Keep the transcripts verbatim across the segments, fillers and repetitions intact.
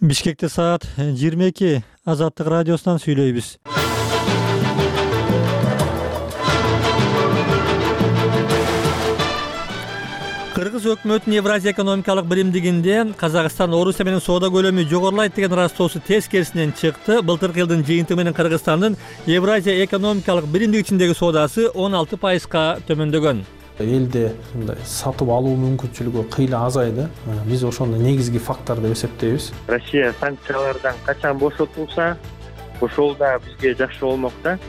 Бишкекте саат жыйырма эки. Азаттык радиосунан сүйлөйбүз. Кыргыз өкмөтүнүн Евразия экономикалык биримдигинде Казакстан Орусия менен соода көлөмү жогорулайт деген ырастоосу тескерисинен чыкты. Былтыркы жылдын жыйынтыгы менен Кыргызстандын Евразия экономикалык биримдиги ичиндеги соодасы он алты пайызга төмөндөгөн. Элде мындай сатып алуу мүмкүнчүлүгү кыйла азайды. Биз ошондо негизги фактор деп эсептейбиз. Россия санкциялардан качан бошотулса, ошол да бизге жакшы болмок да.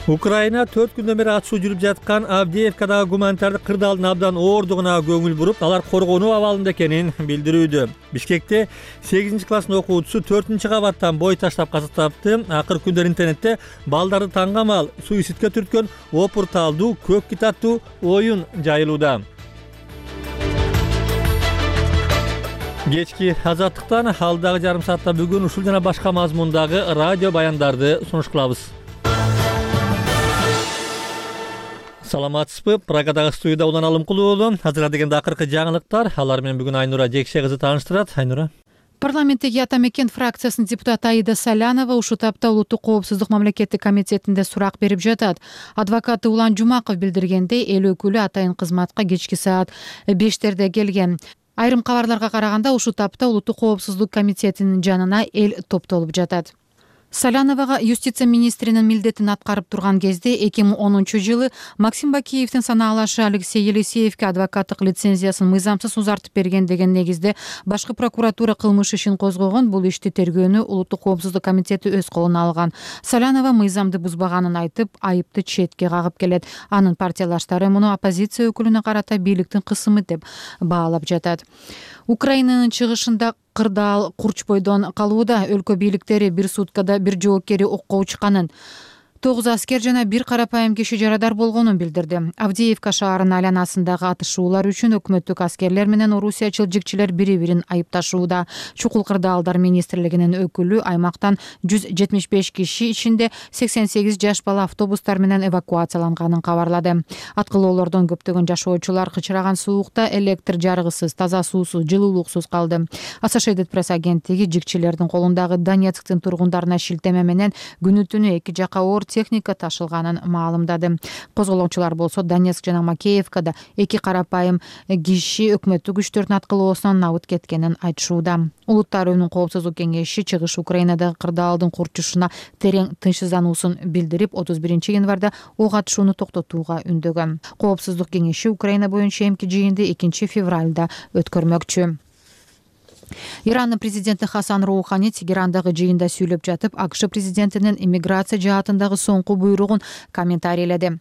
Украина төрт күндөн бери атышуу жүрүп жаткан Авдеевкадагы гуманитардык кырдаалдын абдан оордугуна көңүл буруп, алар коргонуу абалында экенин билдирүүдө. Бишкекте сегизинчи класстын окуучусу төртүнчү кабаттан бой таштап каза тапты. Акыркы күндөр интернетте балдарды таңгамал суицидке түрткөн опурталдуу көк кит аттуу оюн жайылууда. Кечки азаттыктан алдагы жарым саатта бүгүн ушул жана башка мазмундагы радио баяндарды сунуш кылабыз. Саламатсызбы? Прагадагы студияда Улан Алымкулуу уулу. Азырга дегенде акыркы жаңылыктар. Алар менен бүгүн Айнура Жекше кызы тааныштырат. Айнура. Парламенттеги Ата Мекен фракциясынын депутаты Аида Салянова ушул тапта Улуттук коопсуздук мамлекеттик комитетинде сурак берип жатат. Адвокаты Улан Жумаков билдиргендей, эл өкүлү атайын кызматка кечки саат бештерде келген. Айрым кабарларга караганда ушул тапта Улуттук коопсуздук комитетинин жанына эл топтолуп жатат. Саляновага юстиция министринин милдетин аткарып турган кезде эки миң онунчу жылы Максим Бакиевдин санаалашы Алексей Елисеевке адвокаттык лицензиясын мыйзамсыз узартып берген деген негизде башкы прокуратура кылмыш ишин козгогон. Бул ишти тергөөнү Улуттук коопсуздук комитети өз колуна алган. Салянова мыйзамды бузбаганын айтып, айыпты четке кагып келет. Анын партиялаштары муну оппозиция өкүлүнө карата бийликтин кысымы деп баалап жатат. Украинанын чыгышында кырдаал курч бойдон калууда. Өлкө бийликтери бир суткада бир жоокери окко учканын, тогуз аскер жана бир карапайым киши жарадар болгонун билдирди. Авдеевка шаарынын айланасындагы атышуулар үчүн өкмөттүк аскерлер менен орусиячыл жигчилер бири-бирин айыпташууда. Чукул кырдаалдар министрлигинин өкүлү аймактан жүз жетимиш беш киши ичинде сексен сегиз жаш бала автобустар менен эвакуацияланганын кабарлады. Аткылоолордон көптөгөн жашоочулар кычыраган суукта, электр жарыгысыз, таза суусуз, жылуулуксуз калды. Associated Press агенттиги жигчилердин колундагы Донецктин тургундарына шилтеме менен күнү түнү эки жака оор техника ташылганын маалымдады. Козголоочулар болсо Донецк жана Макеевкада эки карапайым киши өкмөттүк күчтөрдүн аткылоосунан набыт кеткенин айтышууда. Улуттар Уюмунун коопсуздук кеңеши чыгыш Украинадагы кырдаалдын курчушуна терең тынчсыздануусун билдирип, отуз биринчи январда ок атышууну токтотууга үндөгөн. Коопсуздук кеңеши Украина боюнча эмки жыйынды экинчи февралда өткөрмөкчү. Ирандын президенти Хасан Роухани Тегерандагы жыйында сүйлөп жатып, АКШ президентинин иммиграция жаатындагы соңку буйругун комментарийледи.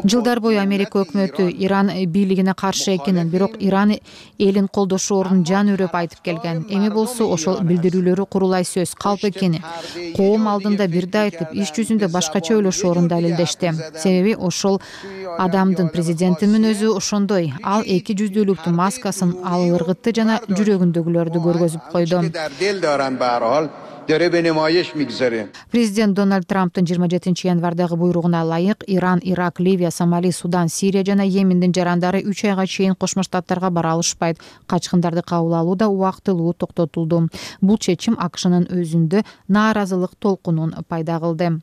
Жылдар бою Америка өкмөтү Иран бийлигине каршы экенин, бирок Иран элин колдошоорун жан үрөп айтып келген. Эми болсо ошол билдирүүлөрү курулай сөз, калп экени. Коом алдында бирди айтып, иш жүзүндө башкача ойлошоорун далилдешти. Себеби ошол адамдын, президенттин мүнөзү ошондой. Ал эки жүздүүлүктүн маскасын, ал ыргытты жана жүрөгүндөгүлөрдү көргөзүп койду. Президент Дональд Трамптын жыйырма жетинчи январдагы буйругуна ылайык Иран, Ирак, Ливия, Сомали, Судан, Сирия жана Йемендин жарандары үч айга чейин Кошмо Штаттарга бара алышпайт. Качкындарды кабыл алуу да убактылуу токтотулду. Бул чечим АКШнын өзүндө нааразылык толкунун пайда кылды.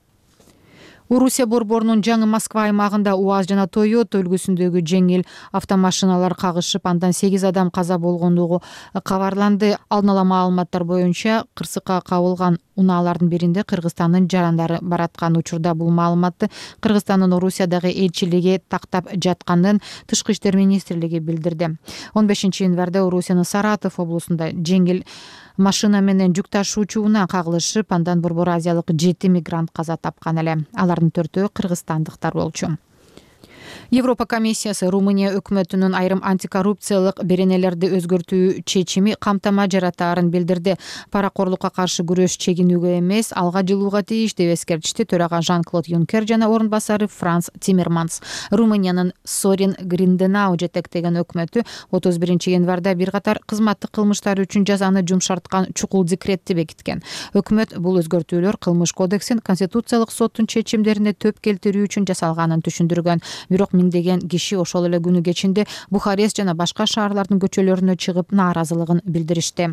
Орусия борборунун жаңы Москва аймагында УАЗ жана Toyota үлгүсүндөгү жеңил автомашиналар кагышып, андан сегиз адам каза болгондугу кабарланды. Алдын ала маалыматтар боюнча кырсыкка кабылган унаалардын биринде Кыргызстандын жарандары бараткан. Учурда бул маалыматты Кыргызстандын Орусиядагы элчилиги тактап жатканын Тышкы иштер министрлиги билдирди. он бешинчи январда Орусиянын Саратов облусунда жеңил машина менен жүк ташуучу унаа кагылышып, андан борбор азиялык жети мигрант каза тапкан эле. Алардын төртөө кыргызстандыктар болчу. Европа комиссиясы Румыния өкмөтүнүн айрым антикоррупциялык беренелерди өзгөртүү чечими камтама жаратаарын билдирди. Паракорлукка каршы күрөш чегинүүгө эмес, алга жылууга тийиш деп эскертишти төрага Жан-Клод Юнкер жана орун басары Франс Тиммерманс. Румыниянын Сорин Гринденау жетектеген өкмөтү отуз биринчи январда бир катар кызматтык кылмыштар үчүн жазаны жумшарткан чукул декретти бекиткен. Өкмөт бул өзгөртүүлөр кылмыш кодексин Конституциялык соттун чечимдерине төп келтирүү үчүн жасалганын түшүндүргөн. Бирок миңдеген киши ошол эле күнү кечинде Бухарест жана башка шаарлардын көчөлөрүнө чыгып нааразылыгын билдиришти.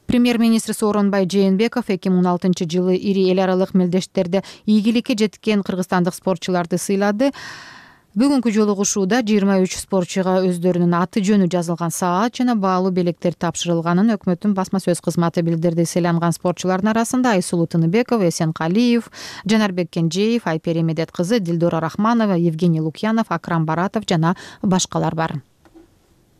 Премьер-министр Сооронбай Жээнбеков эки миң он алтынчы жылы ири эл аралык мелдештерде ийгиликке жеткен кыргызстандык спортчуларды сыйлады. Бүгүнкү жолугушууда жыйырма үч спортчуга өздөрүнүн аты жөнү жазылган саат жана баалуу белектер тапшырылганын өкмөттүн басма сөз кызматы билдирди. Сыйланган спортчулардын арасында Айсулуу Тыныбекова, Эсенкалиев, Жанарбек Кенжеев, Айпери Медет кызы, Дилдора Рахманова, Евгений Лукьянов, Акрам Баратов жана башкалар бар.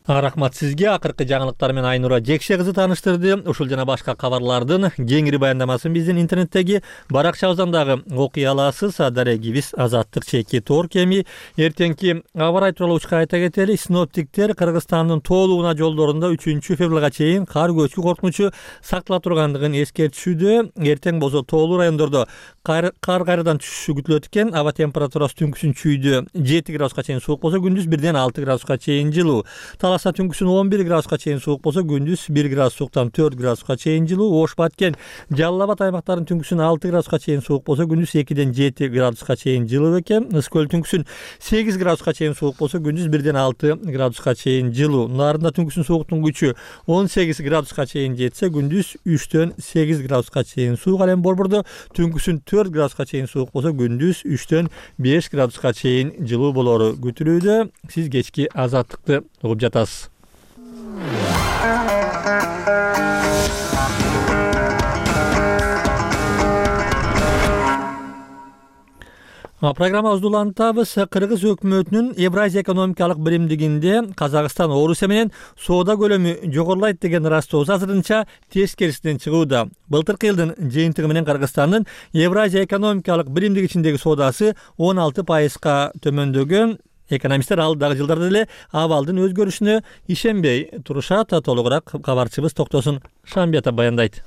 Рахмат сизге. Акыркы жаңылыктар менен Айнура Жекше кызы тааныштырды. Ушул жана башка кабарлардын кеңири баяндамасын биздин интернеттеги баракчабыздан дагы окуй аласыз. Дарегибиз Азаттык чеки тор кеми. Эртеңки аба ырайы тууралуу учка айта кетели. Синоптиктер Кыргызстандын тоолугуна жолдорунда үчүнчү февралга чейин кар көчкү коркунучу сактала тургандыгын эскертишүүдө. Эртең болсо тоолуу райондордо кар кайрадан түшүшү күтүлөт экен. Аба температурасы түнкүсүн чүйдө жети градуска чейин суук болсо, күндүз бирден алты градуска чейин жылуу. Таласа түнкүсүн он бир градуска чейин суук болсо, күндүз бир градус сууктан төрт градуска чейин жылуу. Ош, Баткен, Жалал Абад аймактарынын түнкүсүн алты градуска чейин суук болсо, күндүз экиден жети градуска чейин жылуу экен. Ысык көл түнкүсүн сегиз градуска чейин суук болсо, күндүз бирден алты градуска чейин жылуу. Нарында түнкүсүн сууктун күчү он сегиз градуска чейин жетсе, күндүз үчтөн сегиз градуска чейин суук. Ал эми Борбордо түнкүсүн төрт градуска чейин суук болсо, күндүз үчтөн беш градуска чейин жылуу болору күтүлүүдө. Сиз кечки Азаттыкты угуп жатасыз. Программабызды улантабыз. Кыргыз өкмөтүнүн Евразия экономикалык биримдигинде Казакстан Орусия менен соода көлөмү жогорулайт деген ырастоосу азырынча тескерисинен чыгууда. Былтыркы жылдын жыйынтыгы менен Кыргызстандын Евразия экономикалык биримдиги ичиндеги соодасы он алты пайызга төмөндөгөн. Экономисттер алдагы жылдарда эле абалдын өзгөрүшүнө ишенбей турушат. Толугураак кабарчыбыз Токтосун Шамбията баяндайт.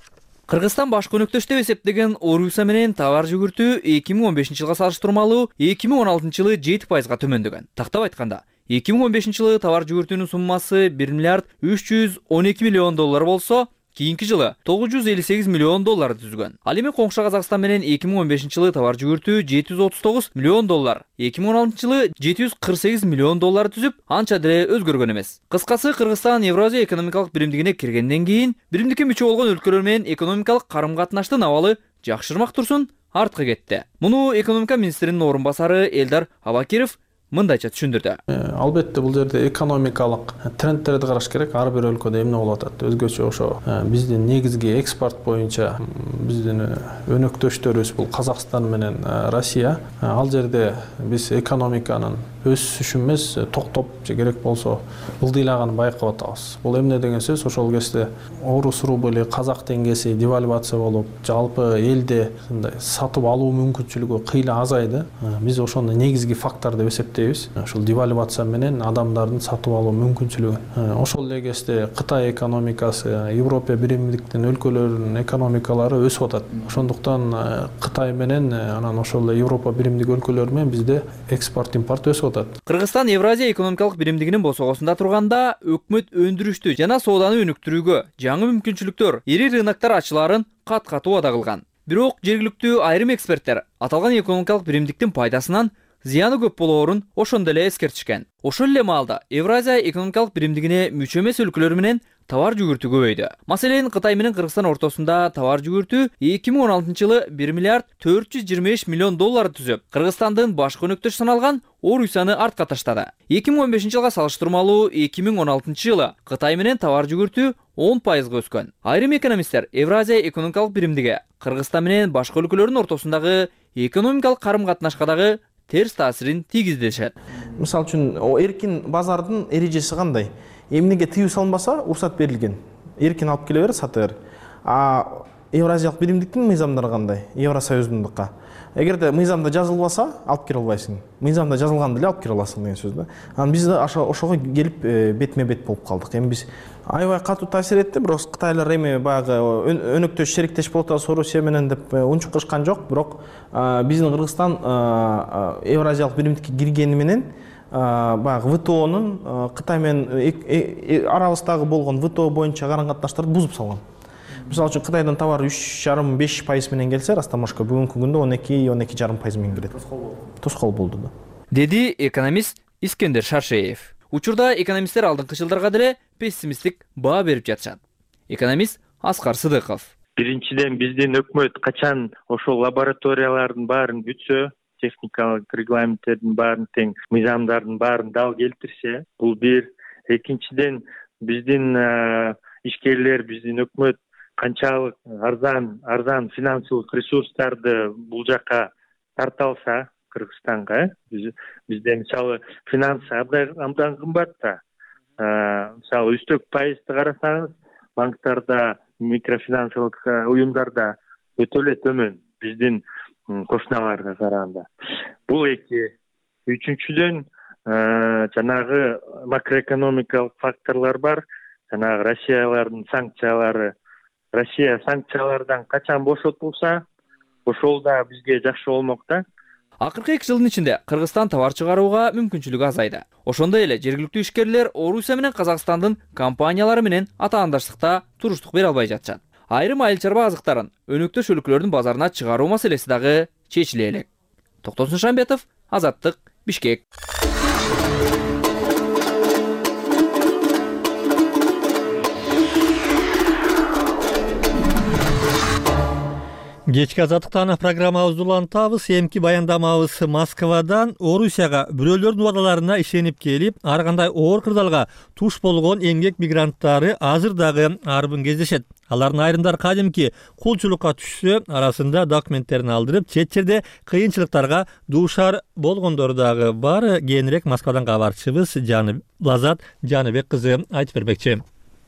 Кыргызстан башкы өнөктөш деп эсептеген Орусия менен товар жүгүртүү эки миң он бешинчи жылга салыштырмалуу эки миң он алтынчы жылы жети пайызга төмөндөгөн. Тактап айтканда, эки миң он бешинчи жылы товар жүгүртүүнүн суммасы бир миллиард үч жүз он эки миллион доллар болсо, кийинки жылы тогуз жүз элүү сегиз миллион долларды түзгөн. Ал эми коңшу Казакстан менен эки миң он бешинчи жылы товар жүгүртүү жети жүз отуз тогуз миллион доллар, эки миң он алтынчы жылы жети жүз кырк сегиз миллион доллар түзүп, анча деле өзгөргөн эмес. Кыскасы, Кыргызстан Евразия экономикалык биримдигине киргенден кийин биримдикке мүчө болгон өлкөлөр менен экономикалык карым-катнаштын абалы жакшырмак турсун, артка кетти. Муну экономика министринин орун басары Элдар Абакиров мындайча түшүндүрдү. Албетте бул жерде экономикалык трендтерди караш керек. Ар бир өлкөдө эмне болуп атат? Өзгөчө ошо биздин негизги экспорт боюнча биздин өнөктөштөрүбүз бул Казакстан менен Россия. Ал жерде биз экономиканын өсүшү эмес, токтоп же керек болсо ылдыйлаганын байкап атабыз. Бул эмне деген сөз? Ошол кезде орус рубли, казак теңгеси девальвация болуп, жалпы элде сатып алуу мүмкүнчүлүгү кыйла азайды. Биз ошону негизги фактор деп эсептейбиз. Ошол девальвация менен адамдардын сатып алуу мүмкүнчүлүгү. Ошол эле кезде Кытай экономикасы, Европа биримдиктин өлкөлөрүнүн экономикалары өсүп атат. Ошондуктан Кытай менен анан ошол Европа биримдиги өлкөлөрү менен бизде экспорт импорт өсүп атат. Кыргызстан Евразия экономикалык биримдигинин босогосунда турганда өкмөт өндүрүштү жана сооданы өнүктүрүүгө жаңы мүмкүнчүлүктөр, ири рыноктор ачылаарын кат-кат убада кылган. Бирок жергиликтүү айрым эксперттер аталган экономикалык биримдиктин пайдасынан зыяны көп болоорун ошондо эле эскертишкен. Ошол эле маалда Евразия экономикалык биримдигине мүчө эмес өлкөлөр менен товар жүгүртүү көбөйдү. Маселен, Кытай менен Кыргызстан ортосунда товар жүгүртүү эки миң он алтынчы жылы бир миллиард төрт жүз жыйырма беш миллион доллар түзүп, Кыргызстандын башкы өнөктөш саналган Орусияны артка таштады. эки миң он бешинчи жылга салыштырмалуу эки миң он алтынчы жылы Кытай менен товар жүгүртүү он пайызга өскөн. Айрым экономисттер Евразия экономикалык биримдиги Кыргызстан менен башка өлкөлөрдүн ортосундагы экономикалык карым-катнашка дагы терс таасирин тийгизишет. Мисалы үчүн, эркин базардын эрежеси кандай? Эмнеге тыюу салынбаса, уруксат берилген. Эркин алып келе бер, сата бер. А Евразиялык биримдиктин мыйзамдары кандай? Евросоюздундукка. Эгерде мыйзамда жазылбаса, алып келе албайсың. Мыйзамда жазылган деле алып келе аласың деген сөз да. Анан биз да ошого келип бетме-бет болуп калдык. Эми биз аябай катуу таасир этти, бирок Кытайлар эми баягы өнөктөш шериктеш болуп атабыз Орусия менен деп унчуккан жок, бирок биздин Кыргызстан Евразиялык биримдикке киргени менен баягы ВТОнун Кытай менен арабыздагы болгон ВТО боюнча карым-катнаштарды бузуп салган. Мисалы үчүн, Кытайдан товар үч жарым беш пайыз менен келсе, растамашка бүгүнкү күндө он эки он эки жарым пайыз менен келет. Тоскоол болду да. деди экономист Искендер Шаршеев. Учурда экономисттер алдыңкы жылдарга деле пессимисттик баа берип жатышат. Экономист Аскар Сыдыков: Биринчиден, биздин өкмөт качан ошол лабораториялардын баарын бүтсө, техникалык регламенттердин баарын тең, мыйзамдардын баарын дал келтирсе, бул бир. Экинчиден, биздин ишкерлер, биздин өкмөт канчалык арзан арзан финансылык ресурстарды бул жака тарта алса, Кыргызстанга, бизде мисалы финансы абдан кымбат да. Мисалы үстөк пайызды карасаңыз, банктарда, микрофинансылык уюмдарда өтө эле төмөн биздин кошуналарга караганда. Бул эки. Үчүнчүдөн, жанагы макроэкономикалык факторлор бар. Жанагы Россиялардын санкциялары. Россия санкциялардан качан бошотулса, ошол да бизге жакшы болмок да. Акыркы эки жылдын ичинде Кыргызстан товар чыгарууга мүмкүнчүлүгү азайды. Ошондой эле жергиликтүү ишкерлер Орусия менен Казакстандын компаниялары менен атаандаштыкта туруштук бере албай жатышат. Айрым айыл чарба азыктарын өнөктөш өлкөлөрдүн базарына чыгаруу маселеси дагы чечиле элек. Токтосун Шамбетов, Азаттык, Бишкек. Кечки азаттыктан программабызды улантабыз. Эмки баяндамабыз Москвадан Орусияга бирөөлөрдүн убадаларына ишенип келип, ар кандай оор кырдаалга туш болгон эмгек мигранттары азыр дагы арбын кездешет. Алардын айрымдары кадимки кулчулукка түшсө, арасында документтерин алдырып, чет жерде кыйынчылыктарга дуушар болгондору дагы бар. Кийинирээк Москвадан кабарчыбыз Жаны Лазат Жаныбек кызы айтып бермекчи.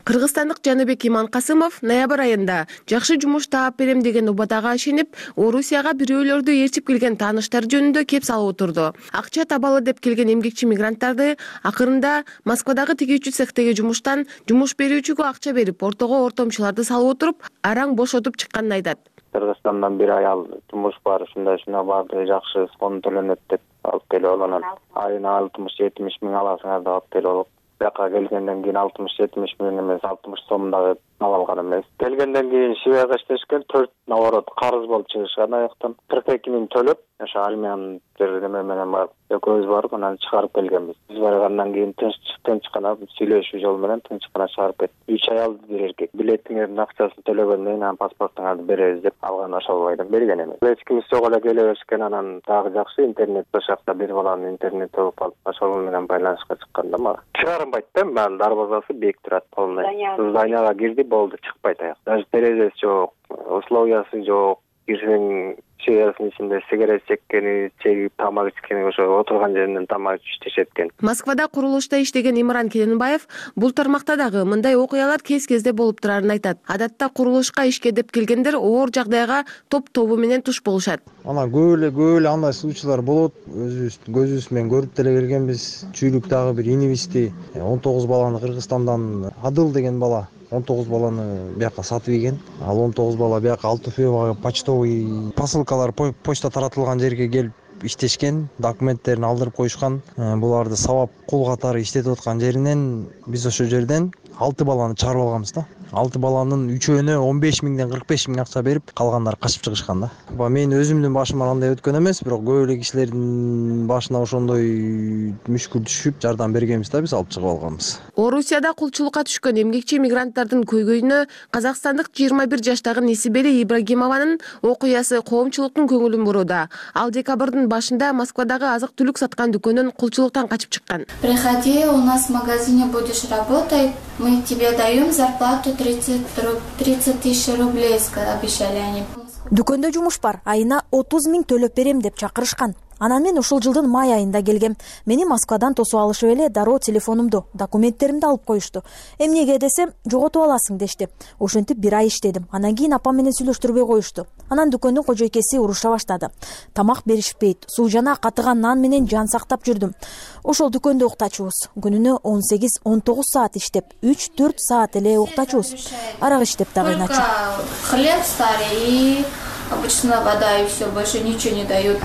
Кыргызстандык Жаныбек Иманкасымов ноябрь айында жакшы жумуш таап берем деген убадага ишенип, Орусияга бирөөлөрдү ээрчип келген тааныштар жөнүндө кеп салып отурду. Акча табалы деп келген эмгекчи мигранттарды акырында Москвадагы тигүүчү цехтеги жумуштан жумуш берүүчүгө акча берип, ортого ортомчуларды салып отуруп, араң бошотуп чыкканын айтат. Кыргызстандан бир аял жумуш бар, ушундай ушундай барды жакшы фонд төлөнөт деп алып келип алганан айына алтымыш жетимиш миң аласыңар деп алып келип алып, бияка келгенден кийин алтымыш жетимиш миң эмес, алтымыш сомдагы ала алган эмес. Келгенден кийин Швецияга иштешкен, төрт наоборот карыз болуп чыгышкан аяктан кырк эки миң төлөп, ошо армиянын неме менен барып, экөөбүз барып анан чыгарып келгенбиз. Биз баргандан кийин тынч гана сүйлөшүү жолу менен тынч гана чыгарып кетти. үч аял бир эркек. Билетиңердин акчасын төлөгөндөн кийин анан паспортуңарды беребиз деп алган ошол бойдон берген эмес. Эч ким сого эле келе беришкен, анан дагы жакшы интернет ошакта бир баланын интернет алып алып, ошол менен байланышка чыкканда мага чыгарынбайт да, анын дарбазасы бек турат полный. Зданияга кирди, болду, чыкпайт аяк. Даже терезеси жок, условиясы жок. Кирсең чыгарсың ичинде сигарет чеккени, чегип тамак ичкени, ошо отурган жеринен тамак иштешет экен. Москвада курулушта иштеген Имран Келенбаев бул тармакта дагы мындай окуялар кез-кезде болуп турарын айтат. Адатта курулушка ишке деп келгендер оор жагдайга топ-тобу менен туш болушат. Анан көп эле көп эле андай случайлар болот. Өзүбүз көзүбүз менен көрүп деле келгенбиз. Чүйлүктагы бир инибизди он тогуз баланы Кыргызстандан Адыл деген бала он тогуз баланы бияка сатып ийген. Ал он тогуз бала бияка Алтуфьевага почтовый посылкалар почта таратылган жерге келип иштешкен, документтерин алдырып коюшкан. Буларды сабап кул катары иштетип аткан жеринен биз ошол жерден алты баланы чыгарып алганбыз да. алты баланын үчөөнө он беш миңден кырк беш миң акча берип, калгандары качып чыгышкан да. Мен өзүмдүн башыма андай өткөн эмес, бирок көп эле кишилердин башына ошондой мүшкүл түшүп, жардам бергенбиз да, биз алып чыгып алганбыз. Орусияда кулчулукка түшкөн эмгекчи мигранттардын көйгөйүнө казакстандык жыйырма бир жаштагы Несибели Ибрагимованын окуясы коомчулуктун көңүлүн бурууда. Ал декабрдын башында Москвадагы азык-түлүк саткан дүкөндөн кулчулуктан качып чыккан. Приходи, у нас в магазине будешь работать, мы тебе даем зарплату тридцать тысяч рублей, обещали они. Дүкөндө жумуш бар, айына отуз миң төлөп берем деп чакырышкан. Анан мен ушул жылдын май айында келгем. Мени Москвадан тосуп алышып эле дароо телефонумду, документтеримди алып коюшту. Эмнеге десем, жоготуп аласың дешти. Ошентип бир ай иштедим. Анан кийин апам менен сүйлөштүрбөй коюшту. Анан дүкөндүн кожойкеси уруша баштады. Тамак беришпейт, суу жана катыган нан менен жан сактап жүрдүм. Ошол дүкөндө уктачубуз. Күнүнө он сегиз он тогуз саат иштеп, үч төрт саат эле уктачубуз. Арак иштеп дагы иначе. Хлеб старый и обычная вода, и все, больше ничего не дают.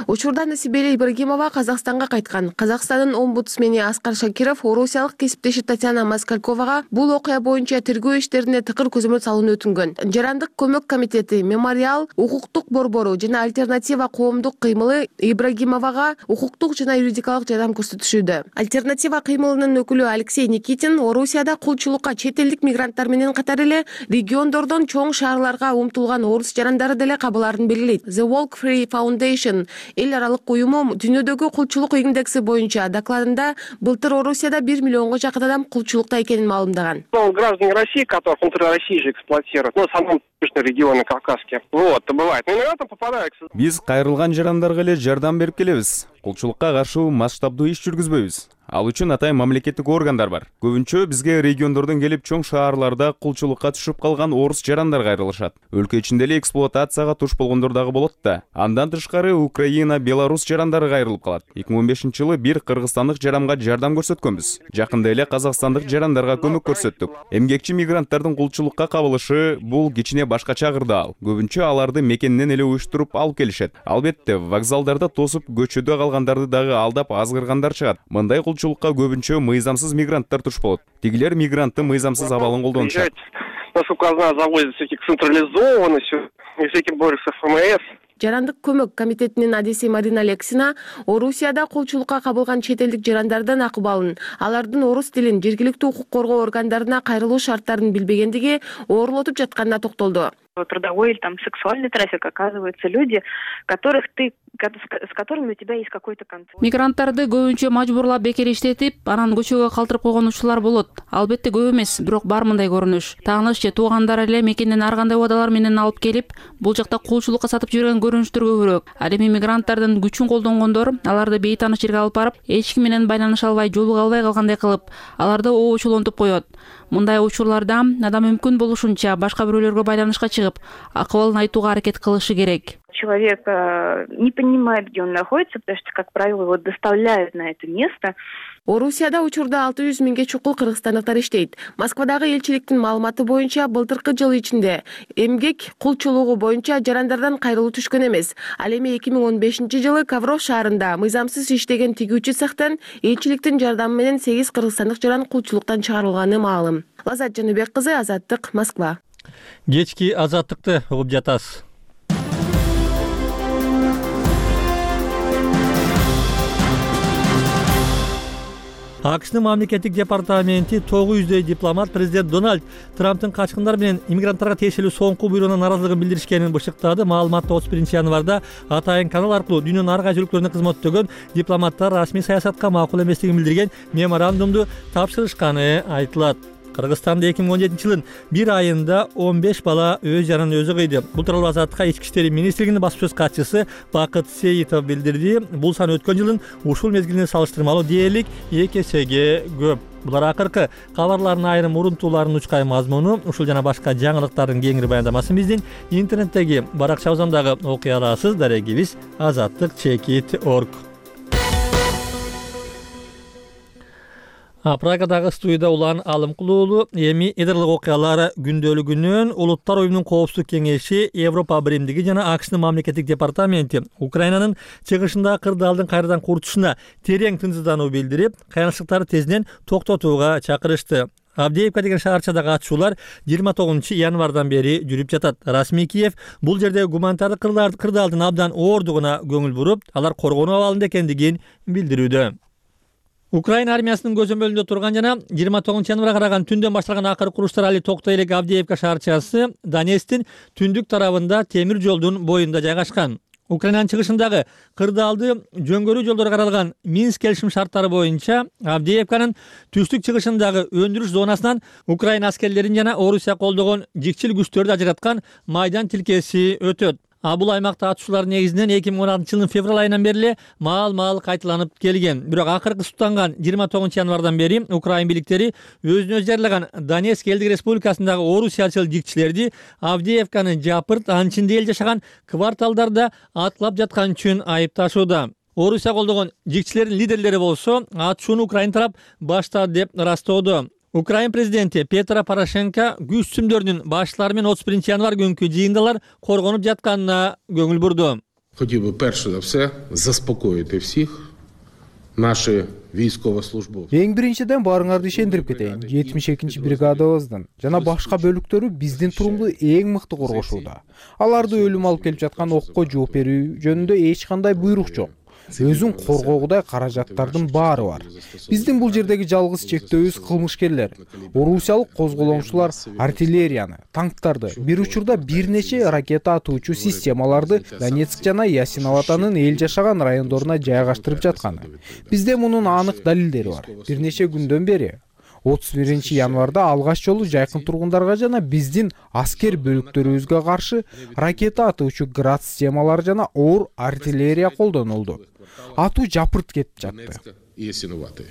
Учурда Насибеле Ибрагимова Казакстанга кайткан. Казакстандын омбудсмени Аскар Шакиров орусиялык кесиптеши Татьяна Москальковага бул окуя боюнча тергөө иштерине тыкыр көзөмөл салууну өтүнгөн. Жарандык көмөк комитети, Мемориал, укуктук борбору жана Альтернатива коомдук кыймылы Ибрагимовага укуктук жана юридикалык жардам көрсөтүшүүдө. Альтернатива кыймылынын өкүлү Алексей Никитин Орусияда кулчулукка чет элдик мигранттар менен катар эле региондордон чоң шаарларга умтулган орус жарандары деле кабыларын белгилейт. The Walk Free Foundation эл аралык уюму дүйнөдөгү кулчулук индекси боюнча докладында былтыр Орусияда бир миллионго жакын адам кулчулукта экенин маалымдаган. Граждане России, которых внутри России же эксплуатируют, ну, в основном регионы Кавказские. Вот, бывает. Но иногда там попадают. Биз кайрылган жарандарга эле жардам берип келебиз. Кулчулукка каршы масштабдуу иш жүргүзбөйбүз. Ал үчүн атайын мамлекеттик органдар бар. Көбүнчө бизге региондордон келип чоң шаарларда кулчулукка түшүп калган орус жарандар кайрылышат. Өлкө ичинде эле эксплуатацияга туш болгондор дагы болот да. Андан тышкары Украина, Беларусь жарандары кайрылып калат. эки миң он бешинчи жылы бир кыргызстандык жаранга жардам көрсөткөнбүз. Жакында эле казакстандык жарандарга көмөк көрсөттүк. Эмгекчи мигранттардын кулчулукка кабылышы бул кичине башкача кырдаал. Көбүнчө аларды мекенинен эле уюштуруп алып келишет. Албетте, вокзалдарда тосуп көчөдө калгандарды дагы алдап азгыргандар чыгат. Мындай кулчулукка көбүнчө мыйзамсыз мигранттар туш болот. Тигилер мигранттын мыйзамсыз абалын колдонушат. Насколько я знаю, завозят всяких централизованных, всяких борются эф эм эс. Жарандык көмөк комитетинин адиси Марина Лексина Орусияда кулчулукка кабылган чет элдик жарандардын акыбалын, алардын орус тилин, жергиликтүү укук коргоо органдарына кайрылуу шарттарын билбегендиги оорлотуп жатканына токтолду. Трудовой или там сексуальный трафик, оказываются люди, которых ты, с которыми у тебя есть какой-то контроль. Мигранттарды көбүнчө мажбурлап бекер иштетип, анан көчөгө калтырып койгон учурлар болот. Албетте көп эмес, бирок бар мындай көрүнүш. Тааныш же туугандар эле мекенден ар кандай убадалар менен алып келип, бул жакта кулчулукка сатып жиберген көрүнүштөр көбүрөөк. Ал эми мигранттардын күчүн колдонгондор аларды бейтааныш жерге алып барып, эч ким менен байланыша албай, жолуга албай калгандай кылып, аларды оочулонтуп коет. Мындай учурларда адам мүмкүн болушунча башка бирөөлөргө байланышка чыгып, акыбалын айтууга аракет кылышы керек. Человек э, не понимает, где он находится, потому что, как правило, его доставляют на это место. Орусияда учурда алты жүз миңге чукул кыргызстандыктар иштейт. Москвадагы элчиликтин маалыматы боюнча былтыркы жыл ичинде эмгек кулчулугу боюнча жарандардан кайрылуу түшкөн эмес. Ал эми эки миң он бешинчи жылы Кавров шаарында мыйзамсыз иштеген тигүүчү цехтен элчиликтин жардамы менен сегиз кыргызстандык жаран кулчулуктан чыгарылганы маалым. Лазат Жаныбек кызы, Азаттык, Москва. Кечки Азаттыкты угуп жатасыз. АКШнын мамлекеттик департаменти тогуз жүздөй дипломат президент Дональд Трамптын качкындар менен иммигранттарга тиешелүү соңку буйругуна нааразылыгын билдиришкенин бышыктады. Маалыматта отуз биринчи январда атайын канал аркылуу дүйнөнүн ар кайсы өлкөлөрүндө кызмат өтөгөн дипломаттар расмий саясатка макул эместигин билдирген меморандумду тапшырышканы айтылат. Кыргызстанда эки миң он жетинчи жылдын бир айында он беш бала өз жанын өзү кыйды. Бул тууралуу Азаттыкка Ички иштер министрлигинин басма сөз катчысы Бакыт Сейитов билдирди. Бул сан өткөн жылдын ушул мезгилине салыштырмалуу дээрлик эки эсеге көп. Булар акыркы кабарлардын айрым урунтууларынын учкай мазмуну. Ушул жана башка жаңылыктардын кеңири баяндамасын биздин интернеттеги баракчабыздан дагы окуй аласыз. Дарегибиз азаттык чекит точка орг. Прагадагы студияда улан Алымкулуулу эми идырлык окуялар күндөлүгүнөн Улуттар уюмунун коопсуздук кеңеши, Европа биримдиги жана АКШнын мамлекеттик департаменти Украинанын чыгышындагы кырдаалдын кайрадан курутушуна терең тынчсыздануу билдирип, кыянчылыктарды тезинен токтотууга чакырышты. Авдеевка деген шаарчадагы атышуулар жыйырма тогузунчу январдан бери жүрүп жатат. Расмий Киев бул жердеги гуманитардык кырдаалдын абдан оордугуна көңүл буруп, алар коргонуу абалында экендигин билдирүүдө. Украина армиясынын көзөмөлүндө турган жана жыйырма тогузунчу январга караган түндөн башталган акыркы уруштар али токтой элек Авдеевка шаарчасы Донецктин түндүк тарабында темир жолдун боюнда жайгашкан. Украинанын чыгышындагы кырдаалды жөнгөрүү жолдору каралган Минск келишим шарттары боюнча Авдеевканын түштүк чыгышындагы өндүрүш зонасынан Украина аскерлерин жана Орусия колдогон жикчил күчтөрдү ажыраткан майдан тилкеси өтөт. А бул аймакта атышуулар негизинен эки миң он алтынчы жылдын февраль айынан бери эле маал-маал кайталанып келген. Бирок акыркы суттанган жыйырма тогузунчу январдан бери Украин бийликтери өзүнө өзү жарылаган Донецк элдик республикасындагы орусиячыл жикчилерди Авдеевканы жапырт, анчинде эл жашаган кварталдарда аткылап жаткан үчүн айыпташууда. Орусия колдогон жикчилердин лидерлери болсо атышууну Украин тарап баштады деп ырастоодо. Украин президенти Петро Порошенко күч сүмдөрүнүн баштары менен отуз биринчи январ күнкү жыйындалар коргонуп жатканына көңүл бурду. Хотів би перше за все заспокоїти всіх наші військовослужбовці. Эң биринчиден баарыңарды ишендирип кетейин. жетимиш экинчи бригадабыздын жана башка бөлүктөрү биздин турумду эң мыкты коргошууда. Аларды өлүм алып келип жаткан окко жооп берүү жөнүндө эч кандай буйрук жок. Өзүн коргоогудай каражаттардын баары бар. Биздин бул жердеги жалгыз чектөөбүз кылмышкерлер. Орусиялык козголоңчулар артиллерияны, танктарды, бир учурда бир нече ракета атуучу системаларды Донецк жана Ясиноватанын эл жашаган райондоруна жайгаштырып жатканы. Бизде мунун анык далилдери бар. Бир нече күндөн бери отуз биринчи январда алгач жолу жайкын тургундарга жана биздин аскер бөлүктөрүбүзгө каршы ракета атуучу град системалары жана оор артиллерия колдонулду. Атуу жапырт кетип жатты.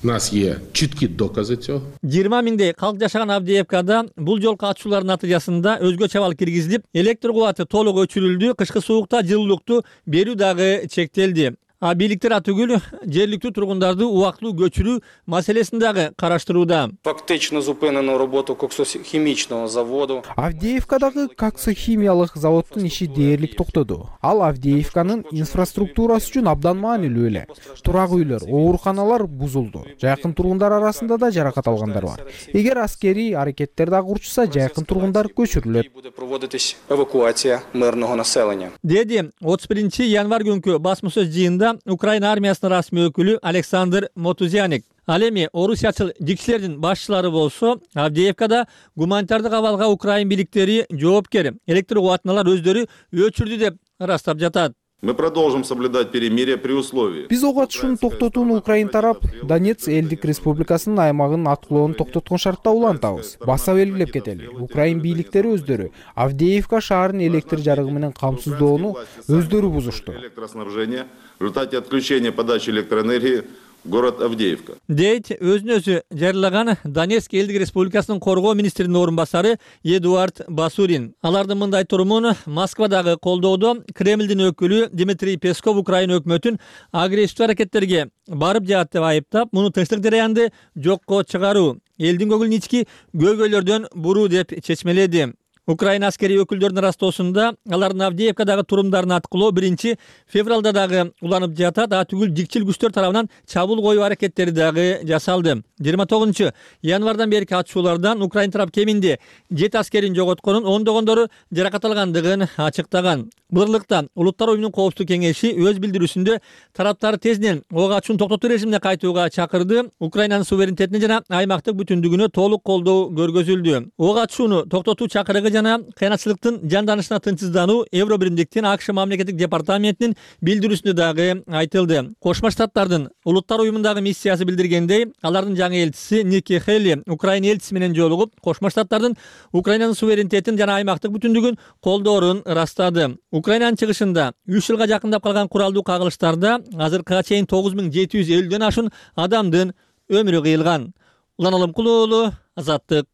У нас є чіткі докази цього. жыйырма миңдей калк жашаган Авдеевкада бул жолку атышуулардын натыйжасында өзгөчө абал киргизилип, электр кубаты толук өчүрүлдү, кышкы суукта жылуулукту берүү дагы чектелди. А бийликтер атүгүл жергиликтүү тургундарды убактылуу көчүрүү маселесин дагы караштырууда. Фактично зупинено роботу коксохимичного заводу. Авдеевкадагы коксохимиялык заводдун иши дээрлик токтоду. Ал Авдеевканын инфраструктурасы үчүн абдан маанилүү эле. Турак үйлөр, ооруканалар бузулду. Жайкын тургундар арасында да жаракат алгандар бар. Эгер аскерий аракеттер дагы урчуса, жайкын тургундар көчүрүлөт. Буде проводитись евакуація мирного населення. Деди отуз биринчи январь күнкү басма-сөз жыйында Украина армиясынын расмий өкүлү Александр Мотузяник. Ал эми орусиячыл жикчилердин башчылары болсо, Авдеевкада гуманитардык абалга Украин бийликтери жоопкер. Электр кубатыналар өздөрү өчүрдү деп ырастап жатат. Мы продолжим соблюдать перемирие при условии. Биз ок атышууну токтотууну Украин тарап Донецк элдик республикасынын аймагын аткылоону токтоткон шартта улантабыз. Баса белгилеп кетели. Украин бийликтери өздөрү Авдеевка шаарын электр жарыгы менен камсыздоону өздөрү бузушту. Электроснабжение в результате отключения подачи электроэнергии город Авдеевка. Дейт өзүн өзү жарылаган Донецк элдик республикасынын коргоо министринин орун басары Эдуард Басурин. Алардын мындай турумун Москвадагы колдоодо Кремлдин өкүлү Дмитрий Песков Украина өкмөтүн агрессивдүү аракеттерге барып жаат деп айыптап, муну тынчтык жараянды жокко чыгаруу, элдин көңүлүн ички көйгөйлөрдөн буруу деп чечмеледи. Украина аскери өкүлдөрүнүн ырастоосунда алардын Авдеевкадагы турумдарын аткылоо биринчи февралда дагы уланып жатат, а түгүл жикчил күчтөр тарабынан чабуул коюу аракеттери дагы жасалды. жыйырма тогузунчу январдан берки атышуулардан Украин тарап кеминде жети аскерин жоготконун, ондогондору жаракат алгандыгын ачыктаган. Бурлукта Улуттар уюмунун коопсуздук кеңеши өз билдирүүсүндө тараптар тезден ок атышууну токтотуу режимине кайтууга чакырды. Украинанын суверенитетине жана аймактык бүтүндүгүнө толук колдоо көргөзүлдү. Ок атышууну токтотуу чакырыгы жана кыйынчылыктын жанданышына тынчсыздануу Евро биримдиктин АКШ мамлекеттик департаментинин билдирүүсүндө дагы айтылды. Кошмо Штаттардын Улуттар уюмундагы миссиясы билдиргендей, алардын жаңы элчиси Ники Хелли Украина элчиси менен жолугуп, Кошмо Штаттардын Украинанын суверенитетин жана аймактык бүтүндүгүн колдоорун ырастады. Украинанын чыгышында үч жылга жакындап калган куралдуу кагылыштарда азыркыга чейин тогуз миң жети жүз элүүдөн ашуун адамдын өмүрү кыйылган. Улан Алымкул уулу, Азаттык.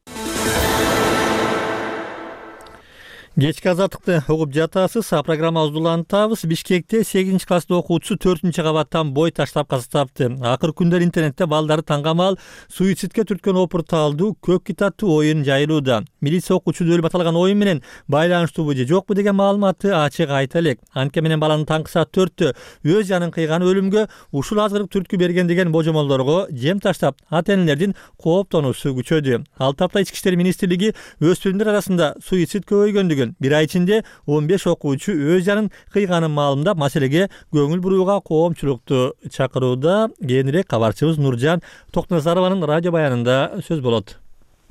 Кечки азаттыкты угуп жатасыз. А программабызды улантабыз. Бишкекте сегизинчи класстын окуучусу төртүнчү кабаттан бой таштап каза тапты. Акыр күндөр интернетте балдары таңгамал суицидке түрткөн опурталдуу көк китаттуу оюн жайылууда. Милиция окуучуду өлүп аталган оюн менен байланыштуубу же жокпу деген маалыматты ачык айта элек. Анткени менен баланын таңкы саат төрттө өз жанын кыйган өлүмгө ушул азгырык түрткү берген деген божомолдорго жем таштап, ата-энелердин кооптонуусу күчөдү. Ал тапта Ички иштер министрлиги өспүрүмдөр арасында суицид көбөйгөндүгүн, бир ай ичинде он беш окуучу өз жанын кыйганын маалымдап, маселеге көңүл бурууга коомчулукту чакырууда. Кийинирээк кабарчыбыз Нуржан Токтоназарованын радио баянында сөз болот.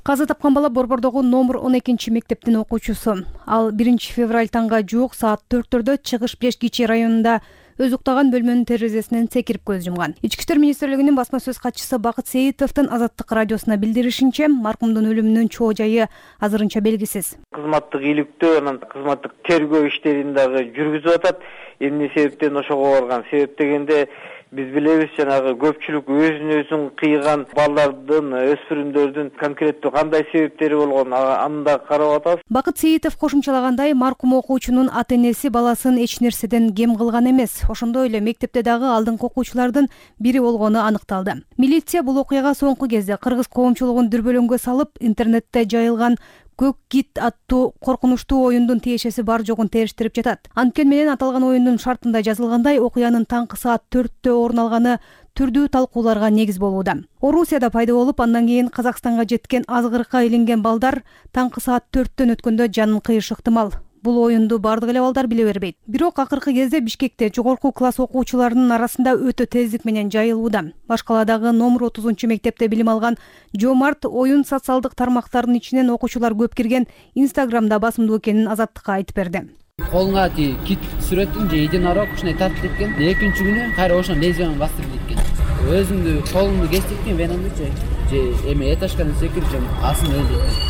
Каза тапкан бала Борбордогу номер он экинчи мектептин окуучусу. Ал биринчи февраль таңга жуук саат төрттөрдө Чыгыш Бешкичи районунда өз уктаган бөлмөнүн терезесинен секирип көз жумган. Ички иштер министрлигинин басма сөз катчысы Бакыт Сейитовдун Азаттык радиосуна билдиришинче, маркумдун өлүмүнүн чоо жайы азырынча белгисиз. Кызматтык иликтөө, анан кызматтык тергөө иштерин дагы жүргүзүп атат. Эмне себептен ошого барган? Себеп дегенде биз билебиз, жанагы көпчүлүк өзүн өзүн кыйган балдардын, өспүрүмдөрдүн конкреттүү кандай себептери болгон, аны да карап атабыз. Бакыт Сейитов кошумчалагандай, маркум окуучунун ата-энеси баласын эч нерседен кем кылган эмес. Ошондой эле мектепте дагы алдыңкы окуучулардын бири болгону аныкталды. Милиция бул окуяга соңку кезде кыргыз коомчулугун дүрбөлөңгө салып, интернетте жайылган көк кит аттуу коркунучтуу оюндун тиешеси бар жогун териштирип жатат. Анткени менен аталган оюндун шартында жазылгандай окуянын таңкы саат төрттө орун алганы түрдүү талкууларга негиз болууда. Орусияда пайда болуп, андан кийин Казакстанга жеткен азгырыкка илинген балдар таңкы саат төрттөн өткөндө жанын кыйышы ыктымал. Бул оюнду бардык эле балдар биле бербейт. Бирок акыркы кезде Бишкекте жогорку класс окуучуларынын арасында өтө тездик менен жайылууда. Башкаладагы номер отузунчу мектепте билим алган Жомарт оюн социалдык тармактардын ичинен окуучулар көп кирген Инстаграмда басымдуу экенин Азаттыкка айтып берди. Колуңа ти кит сүрөтүн же идинара ушундай тартып кеткен. Экинчи күнү кайра ошон лезвияны бастырып кеткен. Өзүмдү колумду кестиктен венамдычы же эме этажкадан секирип же асын өлдүрдүм.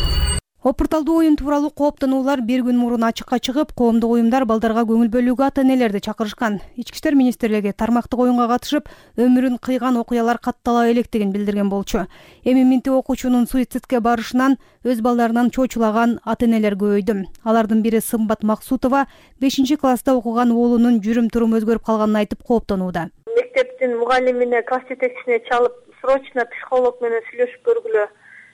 Опурталдуу оюн тууралуу кооптонуулар бир күн мурун ачыкка чыгып, коомдук уюмдар балдарга көңүл бөлүүгө ата-энелерди чакырышкан. Ички иштер министрлиги тармактык оюнга катышып, өмүрүн кыйган окуялар каттала электигин билдирген болчу. Эми миңти окуучунун суицидке барышынан өз балдарынан чочулаган ата-энелер көбөйдү. Алардын бири Сымбат Максутова бешинчи класста окуган уулунун жүрүм-туруму өзгөрүп калганын айтып кооптонууда. Мектептин мугалимине, класс жетекчисине чалып, срочно психолог менен сүйлөшүп көргүлө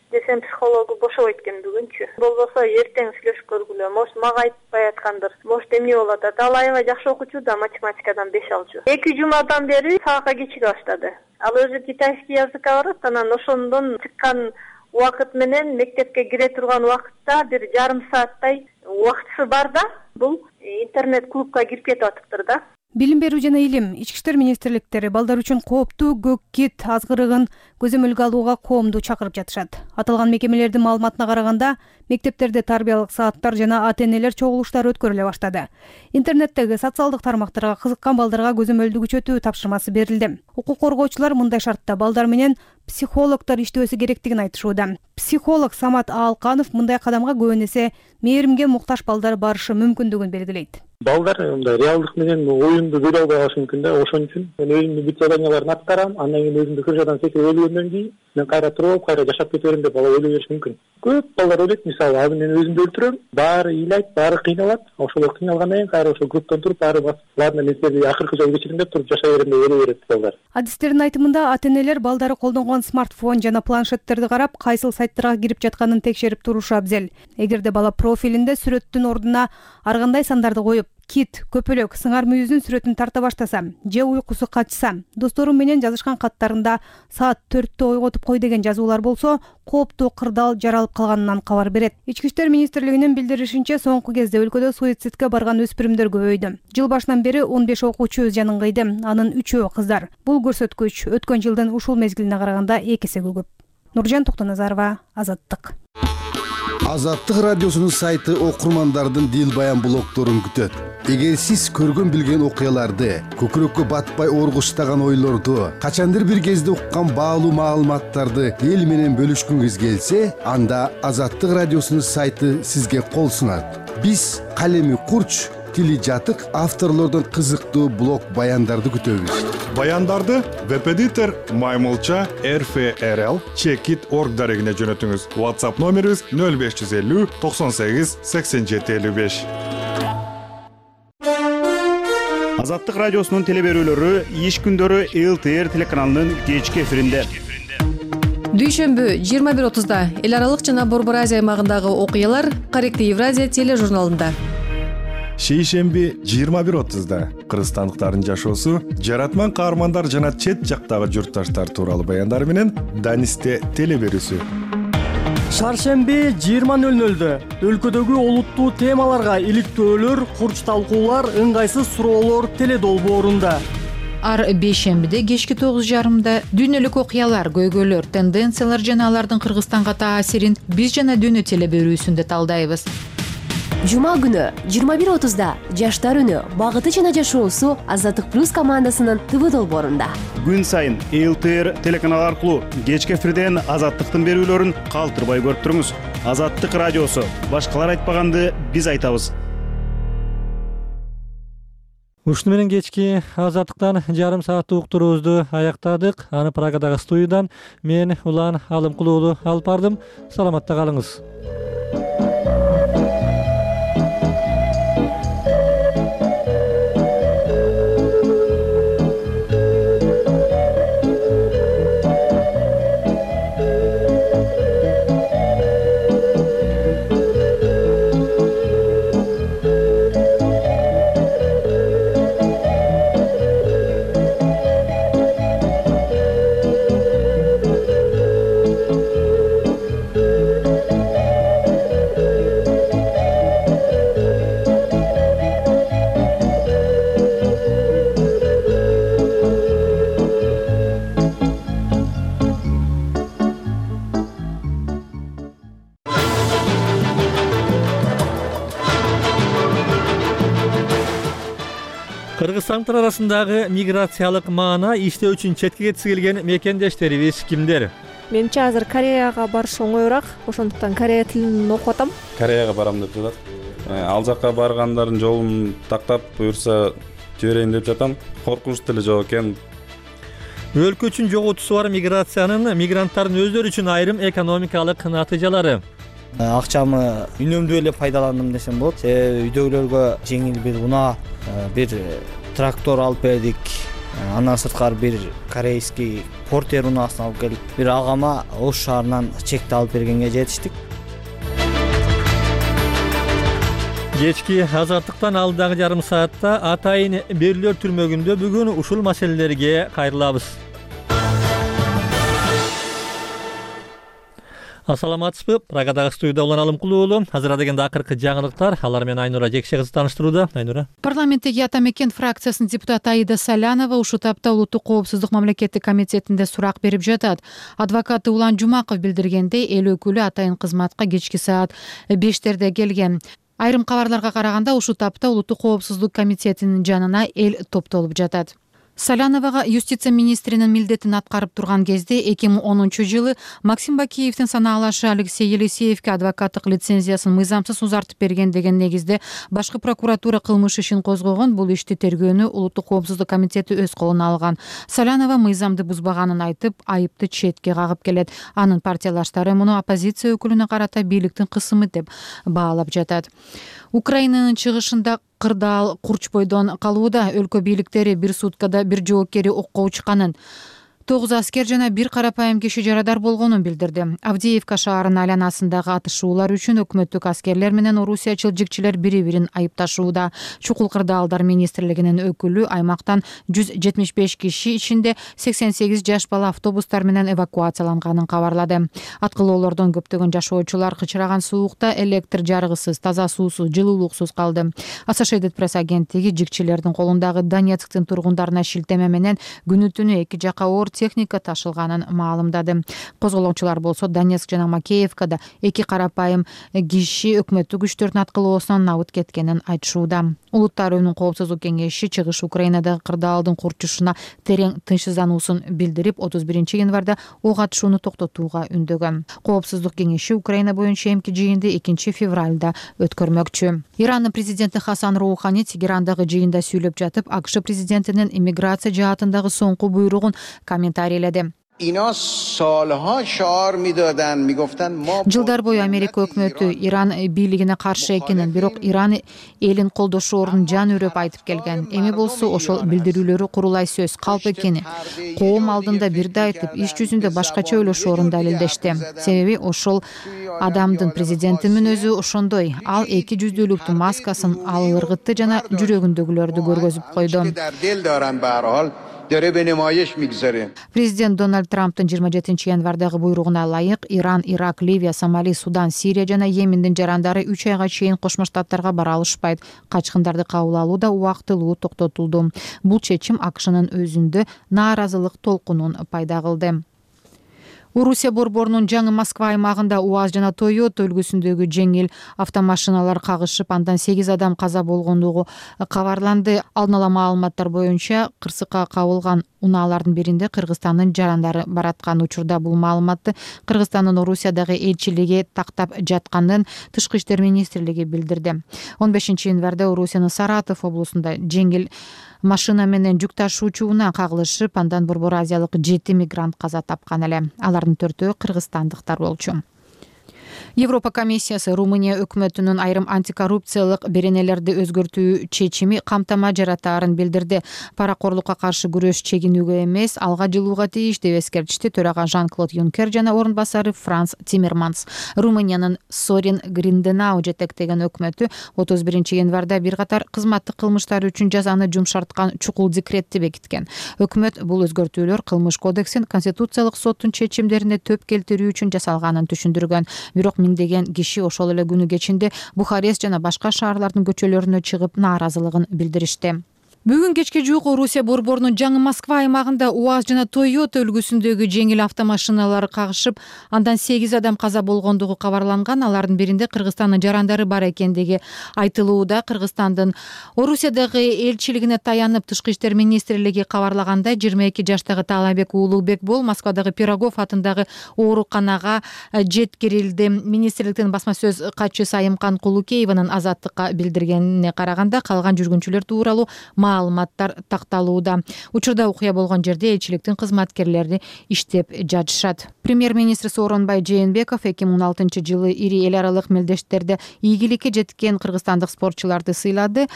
десем, психологу бошобойт экен бүгүнчү. Болбосо эртең сүйлөшүп көргүлө. Может, мага айтпай аткандыр. Может, эмне болуп атат? Ал аябай жакшы окуучу да, математикадан беш алчу. эки жумадан бери сабакка кечиге баштады. Ал өзү китайский языкка барат, анан ошондон чыккан убакыт менен мектепке кире турган убакытта бир жарым сааттай убактысы бар да, бул интернет клубка кирип кетип атыптыр да. Билим берүү жана илим, ички иштер министрликтери балдар үчүн кооптуу көк кит азгырыгын көзөмөлгө алууга коомду чакырып жатышат. Аталган мекемелердин маалыматына караганда, мектептерде тарбиялык сааттар жана ата-энелер чогулуштары өткөрүлө баштады. Интернеттеги социалдык тармактарга кызыккан балдарга көзөмөлдү күчөтүү тапшырмасы берилди. Укук коргоочулар мындай шартта балдар менен психологдор иштөөсү керектигин айтышууда. Психолог Самат Аалканов мындай кадамга көбүн эсе мээримге муктаж балдар барышы мүмкүндүгүн белгилейт. Балдар мындай реалдык менен оюнду көрө албай калышы мүмкүн да, ошон үчүн мен өзүмдүн бүт заданияларын аткарам, андан кийин өзүмдү крышадан секирип өлгөндөн кийин мен кайра туруп, кайра жашап кете берем деп бала ойлой бериши мүмкүн. Көп балдар ойлойт, мисалы, азыр мен өзүмдү өлтүрөм, баары ыйлайт, баары кыйналат, ошол кыйналгандан кийин кайра ошол групптан туруп баары басып, ладно, мен силерди акыркы жолу кечирим деп туруп жашай берем деп ойлой берет балдар. Адистердин айтымында ата-энелер балдары колдонгон смартфон жана планшеттерди карап, кайсыл сайттарга кирип жатканын текшерип турушу абзел. Эгерде бала профилинде сүрөттүн ордуна ар кандай сандарды коюп, кит, көпөлөк, сыңар мүйүздүн сүрөтүн тарта баштаса же уйкусу качса, достору менен жазышкан каттарында саат төрттө ойготуп кой деген жазуулар болсо, кооптуу кырдаал жаралып калганынан кабар берет. Ички иштер министрлигинин билдиришинче, соңку кезде өлкөдө суицидке барган өспүрүмдөр көбөйдү. Жыл башынан бери он беш окуучу өз жанын кыйды, анын үчөө кыздар. Бул көрсөткүч өткөн жылдын ушул мезгилине караганда эки эсеге көп. Нуржан Токтоназарова, Азаттык. Азаттык радиосунун сайты окурмандардын дил баян блогдорун күтөт. Эгер сиз көргөн билген окуяларды, көкүрөккө батпай оргуштаган ойлорду, качандыр бир кезде уккан баалуу маалыматтарды эл менен бөлүшкүңүз келсе, анда Азаттык радиосунун сайты сизге кол сунат. Биз калеми курч, тили жатык авторлордон кызыктуу блог баяндарды күтөбүз. Баяндарды веб-эдитор Маймылча эр эф эр эл чекит точка орг дарегине жөнөтүңүз. WhatsApp номерибиз нөл беш жүз элүү токсон сегиз сексен жети элүү беш. Азаттык радиосунун теле берүүлөрү иш күндөрү эл тэ эр телеканалынын кечки эфиринде. Дүйшөмбү жыйырма бир отузда эл аралык жана Борбор Азия аймагындагы окуялар Каректи Евразия тележурналында. Шейшемби жыйырма бир отузда кыргызстандыктардын жашоосу, жаратман каармандар жана чет жактагы журтташтар тууралуу баяндар менен Данисте теле берүүсү. Шаршемби жыйырма нөл нөлдө өлкөдөгү олуттуу темаларга иликтөөлөр, курч талкуулар, ыңгайсыз суроолор теле долбоорунда. Ар бейшембиде кечки тогуз жарымда дүйнөлүк окуялар, көйгөйлөр, тенденциялар жана алардын Кыргызстанга таасирин биз жана дүйнө теле берүүсүндө талдайбыз. Жума күнү жыйырма бир отузда жаштар үнү, багыты жана жашоосу Азаттык плюс командасынын ТВ долбоорунда. Күн сайын эл тэ эр телеканалы аркылуу кечки эфирден Азаттыктын берүүлөрүн калтырбай көрүп туруңуз. Азаттык радиосу, башкалар айтпаганды биз айтабыз. Ушуну менен кечки Азаттыктан жарым сааттык уктуруубузду аяктадык. Аны Прагадагы студиядан мен Улан Алымкулуу алып бардым. Саламатта калыңыз. Кыргызстандыктар арасындагы миграциялык маана иштөө үчүн четке кетиси келген мекендештерибиз кимдер? Менимче азыр Кореяга барыш оңоюраак, ошондуктан Корея тилин окуп атам. Кореяга барам деп жатат. Ал жакка баргандардын жолун тактап, буюрса жиберейин деп жатам. Коркунуч деле жок экен. Өлкө үчүн жоготусу бар миграциянын мигранттардын өздөрү үчүн айрым экономикалык натыйжалары. Акчамы үнөмдүү эле пайдаландым десем болот. Себеби үйдөгүлөргө жеңил бир унаа, бир трактор алып бердик. Андан сырткары бир корейский портер унаасын алып келдик. Бир агама Ош шаарынан чекти алып бергенге жетиштик. Кечки азаттыктан алдыдагы жарым саатта Атайын Берилер түрмөгүндө бүгүн ушул маселелерге кайрылабыз. Ассаламатсызбы? Прагадагы студияда улан Алымкулуу уулу. Азыр дегенде акыркы жаңылыктар. Алар менен Айнура Жекше кызы тааныштырууда. Айнура. Парламенттеги Ата Мекен фракциясынын депутаты Аида Салянова ушул тапта Улуттук коопсуздук мамлекеттик комитетинде сурак берип жатат. Адвокаты Улан Жумаков билдиргендей, эл өкүлү атайын кызматка кечки саат бештерде келген. Айрым кабарларга караганда ушул тапта Улуттук коопсуздук комитетинин жанына эл топтолуп жатат. Саляновага юстиция министринин милдетин аткарып турган кезде эки миң онунчу жылы Максим Бакиевдин санаалашы Алексей Елисеевке адвокаттык лицензиясын мыйзамсыз узартып берген деген негизде башкы прокуратура кылмыш ишин козгогон. Бул ишти тергөөнү Улуттук коопсуздук комитети өз колуна алган. Салянова мыйзамды бузбаганын айтып, айыпты четке кагып келет. Анын партиялаштары муну оппозиция өкүлүнө карата бийликтин кысымы деп баалап жатат. Украинанын чыгышында кырдаал курч бойдон калууда. Өлкө бийликтери бир суткада бир жоокери окко учканын, тогуз аскер жана бир карапайым киши жарадар болгонун билдирди. Авдеевка шаарынын айланасындагы атышуулар үчүн өкмөттүк аскерлер менен орусиячыл жигчилер бири-бирин айыпташууда. Чукул кырдаалдар министрлигинин өкүлү аймактан жүз жетимиш беш киши ичинде сексен сегиз жаш бала автобустар менен эвакуацияланганын кабарлады. Аткылоолордон көптөгөн жашоочулар кычыраган суукта электр жарыгысыз, таза суусуз, жылуулуксуз калды. Associated Press агенттиги жигчилердин колундагы Донецктин тургундарына шилтеме менен күнү түнү эки жака оор техника ташылганын маалымдады. Козголоочулар болсо Донецк жана Макеевкада эки карапайым киши өкмөттүк күчтөрдүн аткылоосунан набыт кеткенин айтышууда. Улуттар Уюмунун коопсуздук кеңеши чыгыш Украинадагы кырдаалдын курчушуна терең тынчсыздануусун билдирип, отуз биринчи январда ок атышууну токтотууга үндөгөн. Коопсуздук кеңеши Украина боюнча эмки жыйынды экинчи февралда өткөрмөкчү. Ирандын президенти Хасан Роухани Тегерандагы жыйында сүйлөп жатып, АКШ президентинин иммиграция жаатындагы соңку буйругун комментарийледи. Жылдар бою Америка өкмөтү Иран бийлигине каршы экенин, бирок Иран элин колдошоорун жан үрөп айтып келген. Эми болсо ошол билдирүүлөрү курулай сөз, калп экени. Коом алдында бирди айтып, иш жүзүндө башкача ойлошоорун далилдешти. Себеби ошол адамдын президентинин өзү ошондой. Ал эки жүздүүлүктүн маскасын ал ыргытты жана жүрөгүндөгүлөрдү көргөзүп койду. Президент Дональд Трамптын жыйырма жетинчи январдагы буйругуна ылайык Иран, Ирак, Ливия, Сомали, Судан, Сирия жана Йемендин жарандары үч айга чейин Кошмо Штаттарга бара алышпайт. Качкындарды кабыл алуу да убактылуу токтотулду. Бул чечим АКШнын өзүндө нааразылык толкунун пайда кылды. Орусия борборунун жаңы Москва аймагында УАЗ жана Toyota үлгүсүндөгү жеңил автомашиналар кагышып, андан сегиз адам каза болгондугу кабарланды. Алдын ала маалыматтар боюнча кырсыкка кабылган унаалардын биринде Кыргызстандын жарандары бараткан. Учурда бул маалыматты Кыргызстандын Орусиядагы элчилиги тактап жатканын Тышкы иштер министрлиги билдирди. он бешинчи январда Орусиянын Саратов облусунда жеңил машина менен жүк ташуучу унаа кагылышып, андан Борбор Азиялык жети мигрант каза тапкан эле. Алардын төртөө кыргызстандыктар болчу. Европа комиссиясы Румыния өкмөтүнүн айрым антикоррупциялык беренелерди өзгөртүү чечими камтама жаратаарын билдирди. Паракорлукка каршы күрөш чегинүүгө эмес, алга жылууга тийиш деп эскертишти төрага Жан-Клод Юнкер жана орун басары Франс Тиммерманс. Румыниянын Сорин Гринденау жетектеген өкмөтү отуз биринчи январда бир катар кызматтык кылмыштар үчүн жазаны жумшарткан чукул декретти бекиткен. Өкмөт бул өзгөртүүлөр кылмыш кодексин Конституциялык соттун чечимдерине төп келтирүү үчүн жасалганын түшүндүргөн. Бирок миңдеген киши ошол эле күнү кечинде Бухарест жана башка шаарлардын көчөлөрүнө чыгып нааразылыгын билдиришти. Бүгүн кечке жуук Орусия борборунун жаңы Москва аймагында УАЗ жана Toyota үлгүсүндөгү жеңил автомашиналар кагышып, андан сегиз адам каза болгондугу кабарланган. Алардын биринде Кыргызстандын жарандары бар экендиги айтылууда. Кыргызстандын Орусиядагы элчилигине таянып, Тышкы иштер министрлиги кабарлагандай, жыйырма эки жаштагы Таалайбек Уулубек Бол Москвадагы Пирогов атындагы ооруканага жеткирилди. Министрликтин басма сөз катчысы Айымкан Кулукееванын Азаттыкка билдиргенине караганда, калган жүргүнчүлөр тууралуу маалыматтар такталууда. Учурда окуя болгон жерде элчиликтин кызматкерлери иштеп жатышат. Премьер-министр Сооронбай Жээнбеков эки миң он алтынчы жылы ири эл аралык мелдештерде ийгиликке жеткен кыргызстандык спортчуларды сыйлады.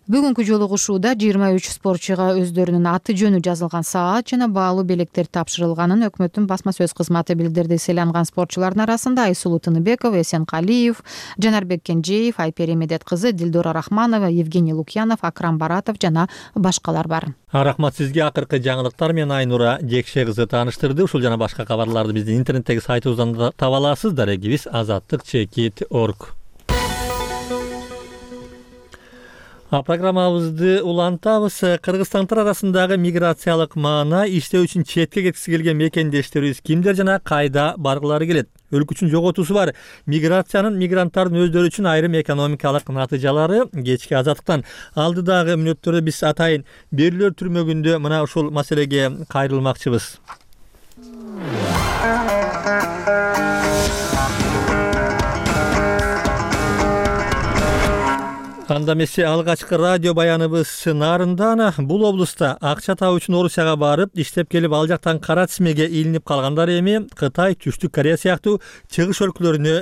Бүгүнкү жолугушууда жыйырма үч спортчуга өздөрүнүн аты жөнү жазылган саат жана баалуу белектер тапшырылганын өкмөттүн басма сөз кызматы билдирди. Сыйланган спортчулардын арасында Айсулуу Тыныбекова, Эсенкалиев, Жанарбек Кенжеев, Айпери Медет кызы, Дилдора Рахманова, Евгений Лукьянов, Акрам Баратов жана башкалар бар. Рахмат сизге. Акыркы жаңылыктар менен Айнура Жекше кызы тааныштырды. Ушул жана башка кабарларды биздин интернеттеги сайтыбыздан да таба аласыз. Дарегибиз азаттык чекит точка орг. Программабызды улантабыз. Кыргызстанддар арасындагы миграциялык маана иштөө үчүн четке кеткиси келген мекендештерибиз кимдер жана кайда баргылары келет? Өлкө жоготуусу бар. Миграциянын мигранттардын өздөрү үчүн айрым экономикалык натыйжалары кечки азаттыктан алдыдагы мүнөттөрдө биз атайын берүүлөр түрмөгүндө мына ушул маселеге кайрылмакчыбыз. Анда эмесе алгачкы радио баяныбыз Нарындан. Бул облустта акча табуу үчүн Орусияга барып, иштеп келип, ал жактан кара тизмеге илинип калгандар эми Кытай, Түштүк Корея сыяктуу чыгыш өлкөлөрүнө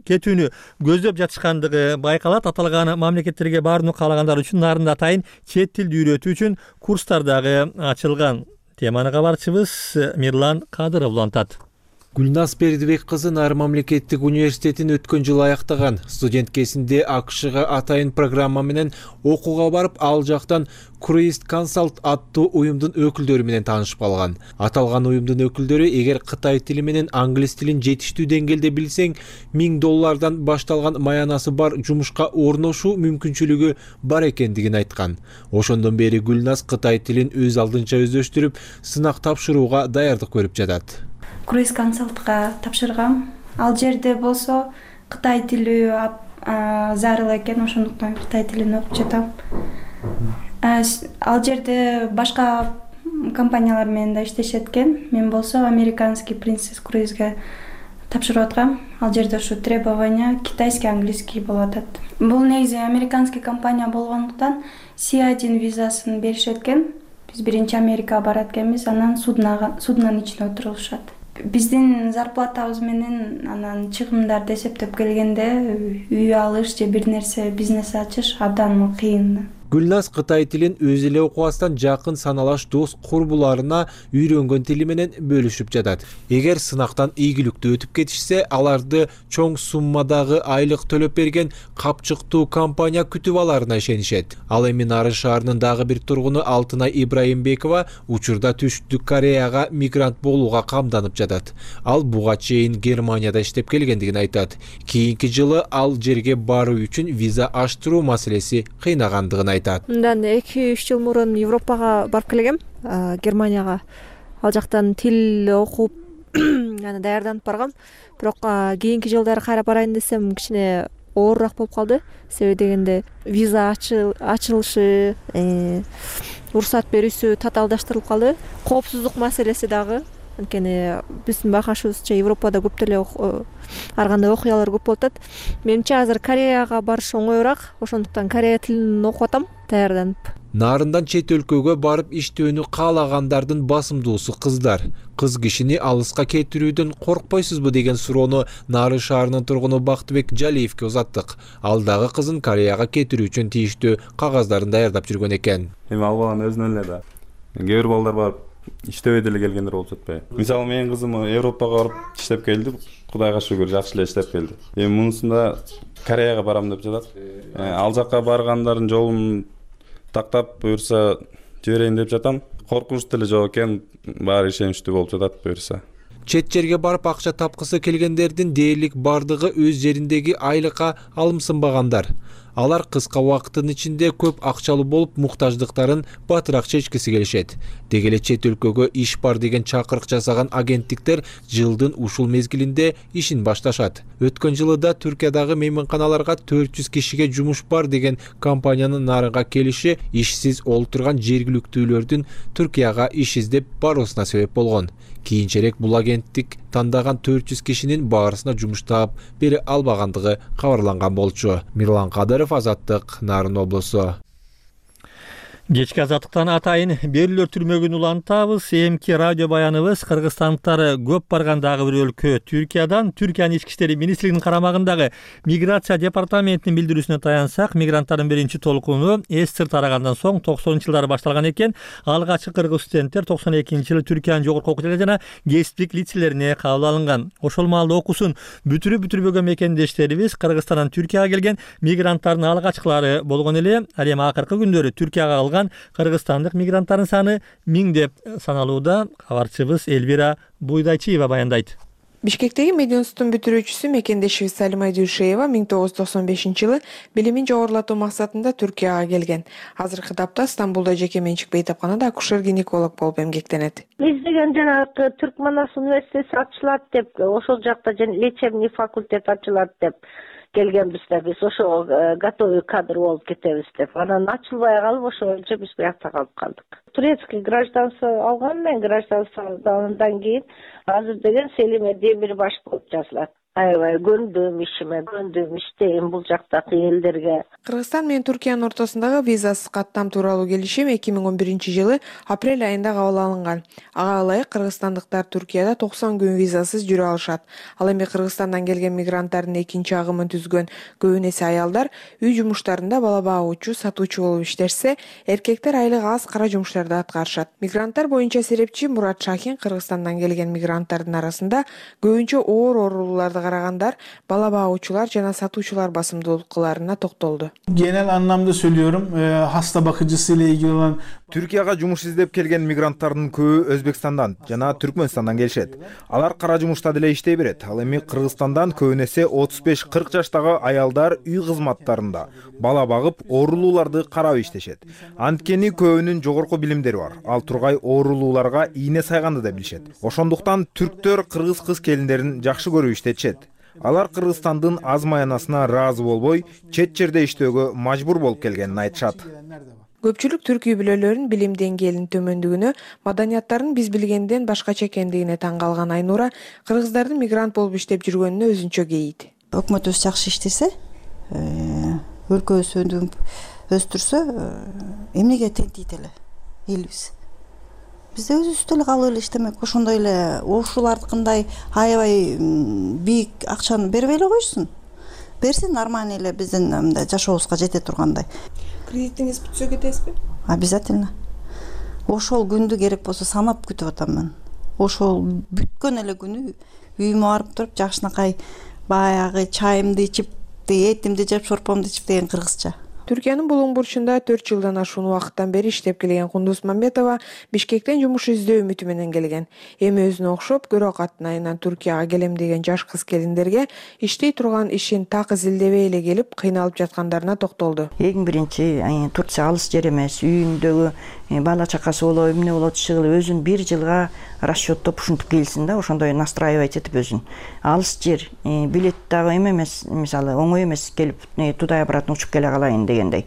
кетүүнү көздөп жатышкандыгы байкалат. Аталган мамлекеттерге барууну каалагандар үчүн Нарында атайын чет тилди үйрөтүү үчүн курстар дагы ачылган. Теманы кабарчыбыз Мирлан Кадыров улантат. Гүлназ Бердибек кызы Нарын мамлекеттик университетин өткөн жылы аяктаган. Студент кезинде АКШга атайын программа менен окууга барып, ал жактан Cruist Consult аттуу уюмдун өкүлдөрү менен таанышып калган. Аталган уюмдун өкүлдөрү эгер кытай тили менен англис тилин жетиштүү деңгээлде билсең, миң доллардан башталган маянасы бар жумушка орношуу мүмкүнчүлүгү бар экендигин айткан. Ошондон бери Гүлназ Кытай тилин өз алдынча өздөштүрүп, сынак тапшырууга даярдык көрүп жатат. Cruist Consult'га тапшыргам. Ал жерде болсо Кытай тили зарыл экен, ошондуктан Кытай тилин окуп жатам. Ал жерде башка компаниялар менен да иштешет экен. Мен болсо Американский Princess Cruise'га тапшырып аткам. Ал жерде ушу требования китайский, английский болуп атат. Бул негизи американский компания болгондуктан си один визасын беришет экен. Биз биринчи Америкага барат экенбиз, анан суднага суднанын ичине отурулушат. Биздин зарплатабыз менен анан чыгымдарды эсептеп келгенде үй алыш же бир нерсе бизнес ачыш абдан кыйын. Гүлназ Кытай тилин өз эле окубастан жакын саналаш дос курбуларына үйрөнгөн тили менен бөлүшүп жатат. Эгер сынактан ийгиликтүү өтүп кетишсе, аларды чоң суммадагы айлык төлөп берген капчыктуу компания күтүп аларына ишенишет. Ал эми Нарын шаарынын дагы бир тургуну Алтынай Ибраимбекова учурда Түштүк Кореяга мигрант болууга камданып жатат. Ал буга чейин Германияда иштеп келгендигин айтат. Кийинки жылы ал жерге баруу үчүн виза аштыруу маселеси кыйнагандыгын айтат. Мындан эки үч жыл мурун Европага барып келгем, Германияга. Ал жактан тил окуп, аны даярданып баргам. Бирок кийинки жылдары кайра барайын десем, кичине оорураак болуп калды. Себеби дегенде виза ачылышы, уруксат берүүсү татаалдаштырылып калды. Коопсуздук маселеси дагы. Анткени биздин байкашыбызча Европада көп деле ар кандай окуялар көп болуп атат. Менимче азыр Кореяга барыш оңоюраак, ошондуктан Корея тилин окуп атам даярданып. Нарындан чет өлкөгө барып иштөөнү каалагандардын басымдуусу кыздар. Кыз кишини алыска кетирүүдөн коркпойсузбу деген суроону Нарын шаарынын тургуну Бактыбек Жалиевке узаттык. Ал дагы кызын Кореяга кетирүү үчүн тийиштүү кагаздарын даярдап жүргөн экен. Эми ал баланын өзүнөн эле да. Кээ бир балдар барып иштебей деле келгендер болуп жатпайбы? Мисалы менин кызым Европага барып иштеп келди, Кудайга шүгүр жакшы эле иштеп келди. Эми мунусунда Кореяга барам деп жатат. Ал жакка баргандардын жолун тактап буюрса жиберейин деп жатам. Коркунуч деле жок экен, баары ишеничтүү болуп жатат буюрса. Чет жерге барып акча тапкысы келгендердин дээрлик бардыгы өз жериндеги айлыкка алымсынбагандар. Алар кыска убакыттын ичинде көп акчалуу болуп, муктаждыктарын батыраак чечкиси келишет. Деги эле чет өлкөгө иш бар деген чакырык жасаган агенттиктер жылдын ушул мезгилинде ишин башташат. Өткөн жылы да Түркиядагы мейманканаларга төрт жүз кишиге жумуш бар деген компаниянын нарынга келиши ишсиз олтурган жергиликтүүлөрдүн Түркияга иш издеп баруусуна себеп болгон. Кийинчерээк бул агенттик тандаган төрт жүз кишинин баарысына жумуш таап бере албагандыгы кабарланган болчу. Мирлан Кадыров, Азаттык, Нарын облусу. Кечки азаттыктан атайын берүүлөр түрмөгүн улантабыз. Эмки радио баяныбыз кыргызстандыктар көп баргандагы бир өлкө Түркиядан Түркиянын ички иштери министрлигинин карамагындагы миграция департаментинин билдирүүсүнө таянсак, мигранттардын биринчи толкуну эс сыр тарагандан соң токсонунчу жылдары башталган экен. Алгачкы кыргыз студенттер токсон экинчи жылы Түркиянын жогорку окуу жана кесиптик лицейлерине кабыл алынган. Ошол маалда окуусун бүтүрүп бүтүрбөгөн мекендештерибиз Кыргызстандан Түркияга келген мигранттардын алгачкылары болгон эле. Ал эми акыркы күндөрү Түркияга алган кыргызстандык мигранттардын саны миңдеп саналууда. Кабарчыбыз Элвира Буйдайчиева баяндайт. Бишкектеги мединституттун бүтүрүүчүсү мекендешибиз Салима Дүйшеева миң тогуз жүз токсон бешинчи жылы билимин жогорулатуу максатында Түркияга келген. Азыркы тапта Стамбулда жеке менчик бейтапканада акушер-гинеколог болуп эмгектенет. Издеген жанагы Түркманас университети ачылат деп, ошол жакта лечебный факультет ачылат деп келгенбиз да, биз ошо готовый кадр болуп кетебиз деп. Анан ачылбай калып, ошо боюнча биз буякта калып калдык. Турецкий гражданство алган мен, гражданстводан кийин азыр деген Селиме Демирбаш болуп жазылат. Аябай көндүм ишиме, көндүм иштейм бул жактагы элдерге. Кыргызстан менен Түркиянын ортосундагы визасыз каттам тууралуу келишим эки миң он биринчи жылы апрель айында кабыл алынган. Ага ылайык кыргызстандыктар Түркияда токсон күн визасыз жүрө алышат. Ал эми Кыргызстандан келген мигранттардын экинчи агымын түзгөн көбүн эсе аялдар үй жумуштарында бала багуучу, сатуучу болуп иштешсе, эркектер айлык аз кара жумуштарды аткарышат. Мигранттар боюнча серепчи Мурат Шахин Кыргызстандан келген мигранттардын арасында көбүнчө оор ооруларды карагандар, бала багуучулар жана сатуучулар басымдуулуктарына токтолду. Genel anlamda söylüyorum, hasta bakıcısıyla ilgili olan Türkiye'ga жумуш издеп келген мигранттардын көбү Өзбекстандан жана Түркмөнстандан келишет. Алар кара жумушта деле иштей берет. Ал эми Кыргызстандан көбүн эсе отуз беш кырк жаштагы аялдар үй кызматтарында бала багып, оорулууларды карап иштешет. Анткени көбүнүн жогорку билимдери бар. Ал тургай оорулууларга ийне сайганды да билишет. Ошондуктан түрктөр кыргыз кыз келиндерин жакшы көрүп иштетишет. Алар Кыргызстандын аз маянасына ыраазы болбой, чет жерде иштөөгө мажбур болуп келгенин айтышат. Көпчүлүк түрк үй бүлөлөрүнүн билим деңгээлинин төмөндүгүнө, маданияттарын биз билгенден башкача экендигине таң калган Айнура кыргыздардын мигрант болуп иштеп жүргөнүнө өзүнчө кейийт. Өкмөтүбүз жакшы иштесе, өлкөбүз өндүп өстүрсө, эмнеге тентийт эле элибиз. Биз өзүбүз эле калып эле иштемек, ошондой эле ушулардыкындай аябай бийик акчаны бербей эле койсун. Берсин нормально эле биздин мындай жашообузга жете тургандай. Кредитиңиз бүтсө кетесизби? Обязательно. Ошол күндү керек болсо санап күтүп атам мен. Ошол бүткөн эле күнү үйүмө барып туруп, жакшынакай баягы чайымды ичип, этимди жеп, шорпомду ичип деген кыргызча. Түркиянын Булуң бурчунда төрт жылдан ашуун убакыттан бери иштеп келген Кундуз Мамбетова Бишкектен жумуш издөө үмүтү менен келген. Эми өзүнө окшоп көрө катнайынан Түркияга келем деген жаш кыз келиндерге иштей турган ишин так изилдебей эле келип, кыйналып жаткандарына токтолду. Эң биринчи Турция алыс жер эмес, үйүндөгү бала чакасы болобу, эмне болот чыгылып, өзүн бир жылга расчеттоп ушинтип келсин да, ошондой настраивать этип өзүн. Алыс жер, билет дагы эме эмес, мисалы оңой эмес келип туда обратно учуп келе калайын дегендей.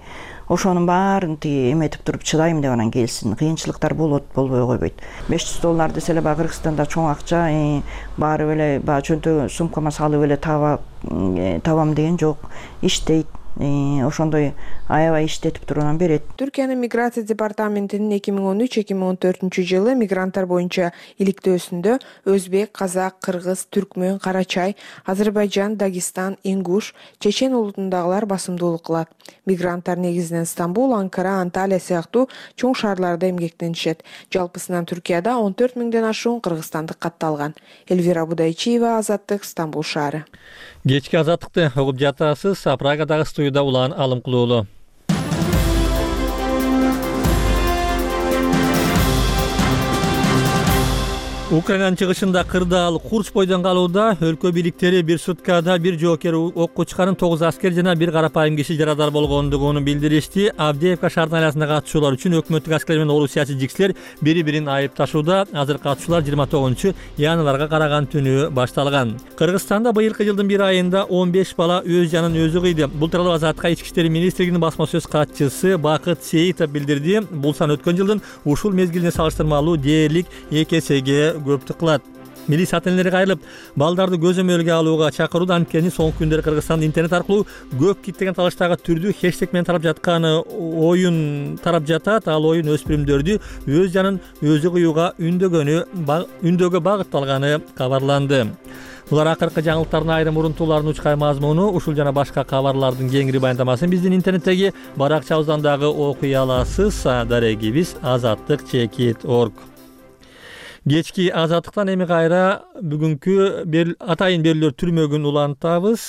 Ошонун баарын тиги эметип туруп чыдайм деп анан келсин. Кыйынчылыктар болот, болбой койбойт. беш жүз доллар десе эле баягы Кыргызстанда чоң акча, баары эле баягы чөнтө сумкама салып эле табам деген жок. Иштейт. Ошондой аябай иштетип туруп анан берет. Түркиянын миграция департаментинин эки миң он үч эки миң он төртүнчү жылы мигранттар боюнча иликтөөсүндө өзбек, казак, кыргыз, түркмөн, карачай, Азербайжан, Дагестан, ингуш, чечен улутундагылар басымдуулук кылат. Мигранттар негизинен Стамбул, Анкара, Анталия сыяктуу чоң шаарларда эмгектенишет. Жалпысынан Түркияда он төрт миңден ашуун кыргызстандык катталган. Элвира Будайчиева, Азаттык, Стамбул шаары. Кечки азаттыкты угуп жатасыз. Прагадагы студияда Улан Алымкулуулу. Украинанын чыгышында кырдаал Курч бойдон калууда. Өлкө бийликтери бир суткада бир жоокер окко чыккан тогуз аскер жана бир карапайым киши жарадар болгондугун билдиришти. Авдеевка шаардын айласына катышуулар үчүн өкмөттүк аскер менен орус саясий жиксилер бири-бирин айыпташууда. Азыр катышуулар жыйырма тогузунчу январга караган түнү башталган. Кыргызстанда быйылкы жылдын бир айында он беш бала өз жанын өзү кыйды. Бул тууралуу Азаттыкка Ички иштер министрлигинин басма сөз катчысы Бакыт Сейитов билдирди. Бул сан өткөн жылдын ушул мезгилине салыштырмалуу дээрлик эки эсеге көп кылат. Милли сателлери кайрылып, балдарды көзөмөлгө алууга чакырууда. Анткени соңку күндөрү Кыргызстанда интернет аркылуу көп киттеген талаштагы түрдүү хэштег менен тарап жаткан оюн тарап жатат. Ал оюн өспүрүмдөрдү өз жанын өзү кыюуга үндөгөнү үндөгө багытталганы кабарланды. Булар акыркы жаңылыктардын айрым урунтууларынын учкай мазмуну. Ушул жана башка кабарлардын кеңири баяндамасын биздин интернеттеги баракчабыздан дагы окуй аласыз. Дарегибиз азаттык чекит точка орг. Кечки азаттыктан эми кайра бүгүнкү атайын берүүлөр түрмөгүн улантабыз.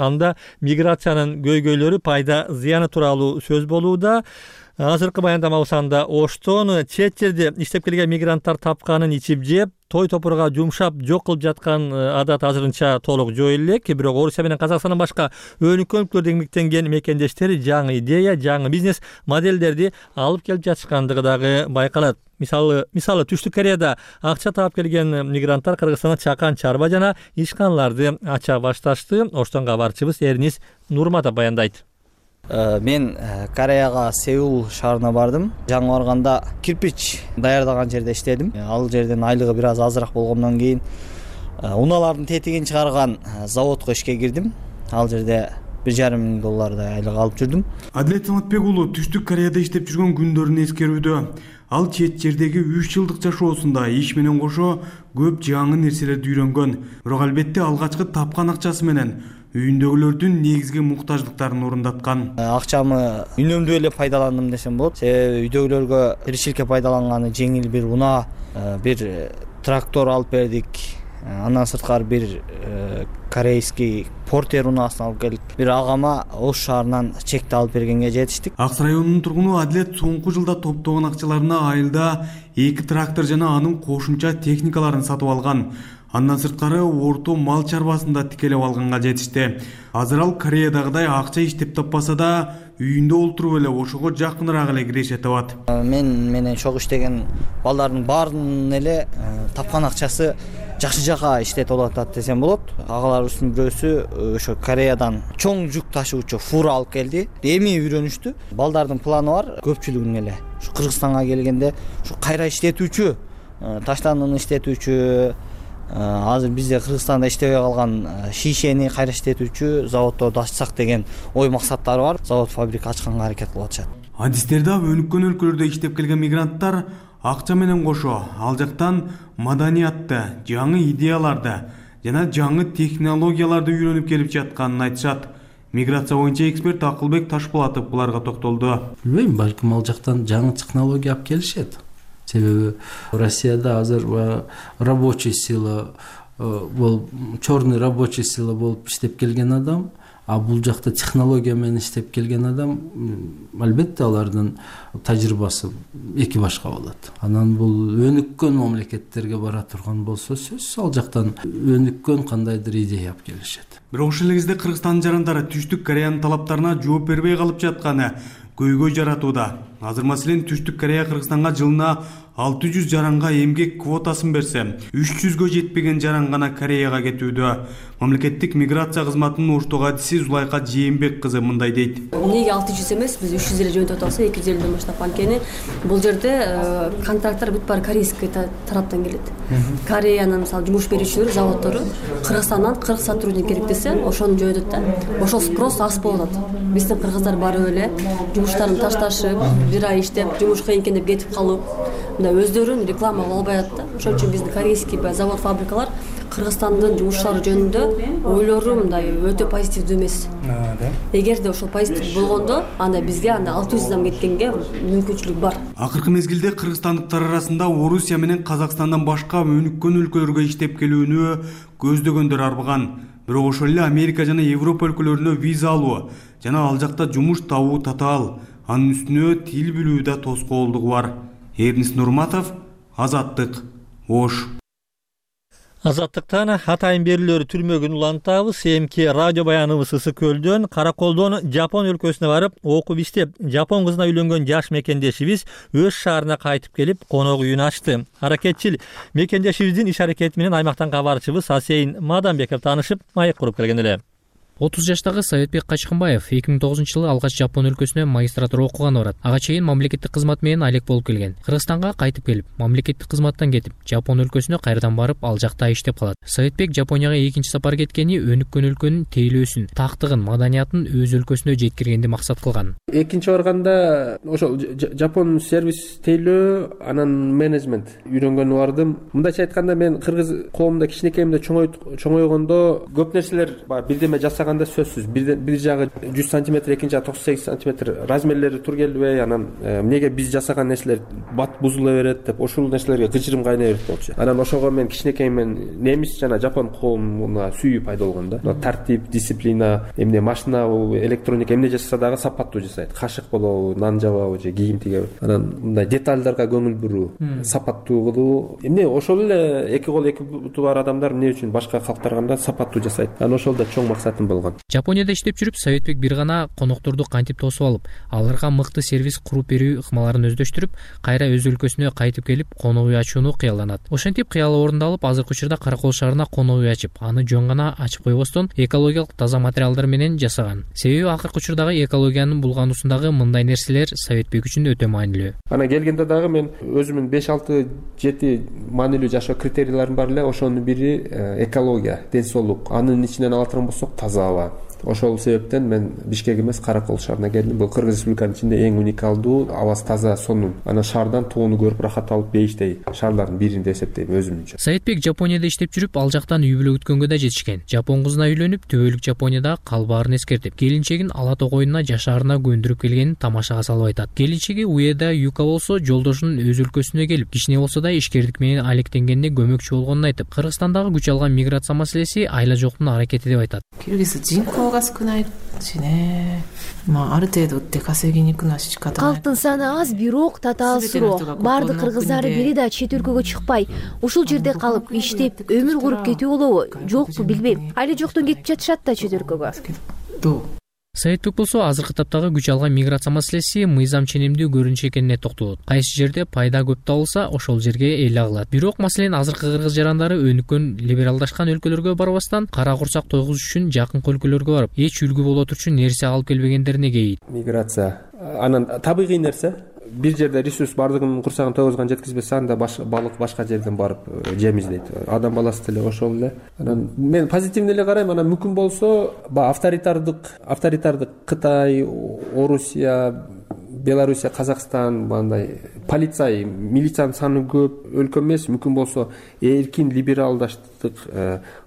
Анда миграциянын көйгөйлөрү, пайда зыяны тууралуу сөз болууда. Азыркы баяндамабыз анда Оштон чет жерде иштеп келген мигранттар тапканын ичип жеп, той топурга жумшап жок кылып жаткан адат азырынча толук жоюлу элек. Бирок Орусия менен Казакстандан башка өнүккөн өлкөлөрдө эмгектенген мекендештер жаңы идея, жаңы бизнес моделдерди алып келип жатышкандыгы дагы байкалат. Мисалы, мисалы Түштүк Кореяда акча таап келген мигранттар Кыргызстанда чакан, чарба жана ишканаларды ача башташты. Оштон кабарчыбыз Эрнис Нурматов баяндайт. Мен Кореяга Сеул шаарына бардым. Жаңы барганда кирпич даярдаган жерде иштедим. Ал жерден айлыгы бир аз азыраак болгондон кийин унаалардын тетигин чыгарган заводко ишке кирдим. Ал жерде бир жарым миң доллардай айлык алып жүрдүм. Адилет Саматбек уулу Түштүк Кореяда иштеп жүргөн күндөрүн эскерүүдө. Ал чет жердеги үч жылдык жашоосунда иш менен кошо көп жаңы нерселерди үйрөнгөн. Бирок албетте алгачкы тапкан акчасы менен үйүндөгүлөрдүн негизги муктаждыктарын орундаткан. Акчамы үнөмдүү эле пайдаландым десем болот. Себеби үйдөгүлөргө тиричиликке пайдаланганы жеңил бир унаа, бир трактор алып бердик. Андан сырткары бир корейский портер унаасын алып келдик. Бир агама Ош шаарынан чекти алып бергенге жетиштик. Акс районунун тургуну Адилет соңку жылда топтогон акчаларына айылда эки трактор жана анын кошумча техникаларын сатып алган. Андан сырткары орто мал чарбасында тикелеп алганга жетишти. Азыр ал Кореядагыдай акча иштеп таппаса да, үйүндө олтуруп эле ошого жакыныраак эле киреше табат. Мен менен чогуу иштеген балдардын баарынын эле тапкан акчасы жакшы жака иштетип атат десем болот. Агаларыбыздын бирөөсү ошо Кореядан чоң жүк ташуучу фура алып келди. Эми үйрөнүштү. Балдардын планы бар, көпчүлүгүнүн эле ушу Кыргызстанга келгенде ушу кайра иштетүүчү, таштандыны иштетүүчү, азыр бизде Кыргызстанда иштебей калган шишени кайра иштетүүчү заводдорду ачсак деген ой максаттары бар. Завод фабрика ачканга аракет кылып атышат. Адистерде өнүккөн өлкөлөрдө иштеп келген мигранттар акча менен кошо ал жактан маданиятты, жаңы идеяларды жана жаңы технологияларды үйрөнүп келип жатканын айтышат. Миграция боюнча эксперт Акылбек Ташпулатов буларга токтолду. Билбейм, балким ал жактан жаңы технология алып келишет. Себеби Россияда азыр рабочий сила болуп, черный рабочий сила болуп иштеп келген адам, а бул жакта технология менен иштеп келген адам, албетте алардын тажрыйбасы эки башка болот. Анан бул өнүккөн мамлекеттерге бара турган болсо сөзсүз ал жактан өнүккөн кандайдыр идея алып келишет. Бирок ошол эле кезде Кыргызстандын жарандары Түштүк Кореянын талаптарына жооп бербей калып жатканы көйгөй жаратууда. Азыр маселен Түштүк Корея Кыргызстанга жылына алты жүз жаранга эмгек квотасын берсе, үч жүзгө жетпеген жаран гана Кореяга кетүүдө. Мамлекеттик миграция кызматынын Оштогу адиси Зулайка Жээнбек кызы мындай дейт. Эмнеге алты жүз эмес, биз үч жүз эле жөнөтүп атабыз, эки жүз элүүдөн баштап. Анткени бул жерде контракттар бүт баары корейский тараптан келет. Кореянын мисалы жумуш берүүчүлөрү, заводдору Кыргызстандан кыргыз сотрудник керек десе, ошону жөнөтөт да. Ошол спрос аз болот. Биздин кыргыздар барып эле жумуштарын ташташып, бир ай иштеп, жумуш кыйын экен деп кетип калып, мындай өздөрүн реклама кыла албайат да. Ошон үчүн биздин корейский завод, фабрикалар Кыргызстандын жумушчулары жөнүндө ойлору мындай өтө позитивдүү эмес. Эгерде ошол позитив болгондо, анда бизге анда алты жүз адам кеткенге мүмкүнчүлүк бар. Акыркы мезгилде кыргызстандыктар арасында Орусия менен Казакстандан башка өнүккөн өлкөлөргө иштеп келүүнү көздөгөндөр арбыган. Бирок ошол эле Америка жана Европа өлкөлөрүнө виза алуу жана ал жакта жумуш табуу татаал. Анын үстүнө тил билүү да тоскоолдугу бар. Эрнис Нурматов, Азаттык, Ош. Азаттыктан атайын берүүлөрү түрмөгүн улантабыз. Эмки радио баяныбыз Ысык Көлдөн Караколдон Жапон өлкөсүнө барып окуп иштеп, жапон кызына үйлөнгөн жаш мекендешибиз өз шаарына кайтып келип конок үйүн ачты. Аракетчил мекендешибиздин иш аракети менен аймактан кабарчыбыз Асейин Мадамбеков таанышып, маек куруп келген эле. отуз жаштагы Советбек Качкынбаев эки миң тогузунчу жылы алгач Жапон өлкөсүнө магистратура окуганы барат. Ага чейин мамлекеттик кызмат менен алек болуп келген. Кыргызстанга кайтып келип, мамлекеттик кызматтан кетип, Жапон өлкөсүнө кайрадан барып, ал жакта иштеп калат. Советбек Жапонияга экинчи сапар кеткени өнүккөн өлкөнүн тейлөөсүн, тактыгын, маданиятын өз өлкөсүнө жеткиргенди максат кылган. Экинчи барганда ошол Жапон сервис тейлөө, анан менеджмент үйрөнгөнү бардым. Мындайча айтканда, мен кыргыз коомунда кичинекейимде чоңойгондо көп нерселер бар, бирдеме жасаганда сөзсүз. Бир, бир жагы жүз сантиметр, экинчи жагы токсон сегиз сантиметр размерлери тур келбей, анан эмнеге биз жасаган нерселер бат бузула берет деп ошол нерселерге кычырым кайнай берет болчу. Анан ошого мен кичинекейимден немис жана жапон коомуна сүйүү пайда болгон да. Тартип, дисциплина, эмне машина, электроника эмне жасаса дагы сапаттуу жасайт. Кашык болобу, нан жабабы же кийим тигеби. Анан мындай детальдарга көңүл буруу, сапаттуу кылуу. Эмне ошол эле эки кол эки буту бар адамдар эмне үчүн башка калктарганда сапаттуу жасайт. Анан ошол да чоң максатым болгон. Жапонияда иштеп жүрүп, Советбек бир гана конокторду кантип тосуп алып, аларга мыкты сервис куруп берүү ыкмаларын өздөштүрүп, кайра өз өлкөсүнө кайтып келип, конок үй ачууну кыялданат. Ошентип кыялы орундалып, азыркы учурда Каракол шаарына конок үй ачып, аны жөн гана ачып койбостон экологиялык таза материалдар менен жасаган. Себеби акыркы учурдагы экологиянын булгануусундагы мындай нерселер Советбек үчүн өтө маанилүү. Ана келгенде дагы мен өзүмдүн беш алты жети маанилүү жашоо критерийлерим бар эле. Ошонун бири экология, ден соолук. Анын ичинен ала турган болсок таза аба. Ошол себептен мен Бишкек эмес, Каракол шаарына келдим. Бул Кыргыз Республиканын ичинде эң уникалдуу, абасы таза, сонун. Анан шаардан тууну көрүп рахат алып бейиштей шаарлардын бирин деп эсептейм өзүмчө. Советбек Жапонияда иштеп жүрүп, ал жактан үй бүлө күткөнгө да жетишкен. Жапон кызына үйлөнүп, төбөлүк Жапонияда калбаарын эскертип, келинчегин ала тогоюнуна жашаарына көндүрүп келгенин тамашага салып айтат. Келинчеги Уэда Юка болсо, жолдошунун өз өлкөсүнө келип, кичине болсо да ишкердик менен алектенгенине көмөкчү болгонун айтып, Кыргызстандагы күч алган миграция маселеси айла жоктун аракети деп айтат. が少ないしね。まあある程度出稼ぎに行くのは仕方ない。 Калктын саны аз, бирок татаал суроо. Бардык кыргыздар бири да чет өлкөгө чыкпай, ушул жерде калып, иштеп, өмүр куруп кетүү болобу, жокпу билбейм. Айла жоктон кетип жатышат да чет өлкөгө. Советбек болсо азыркы таптагы күч алган миграция маселеси мыйзам ченемдүү көрүнүш экенине токтолот. Кайсы жерде пайда көп табылса, ошол жерге эл агылат. Бирок маселен азыркы кыргыз жарандары өнүккөн либералдашкан өлкөлөргө барбастан, кара курсак тойгузуш үчүн жакын өлкөлөргө барып, эч үлгү боло турчу нерсе алып келбегендерине кейит. Миграция анан табигый нерсе. Бир жерде ресурс бардыгын курсагын тойгузган жеткизбесе, анда балык башка жерден барып жем издейт. Адам баласы деле ошол эле. Анан мен позитивный эле карайм. Анан мүмкүн болсо, авторитардык, авторитардык Кытай, Орусия, Белоруссия, Казакстан, мындай полиция, милициянын саны көп өлкө эмес, мүмкүн болсо эркин либералдаштык,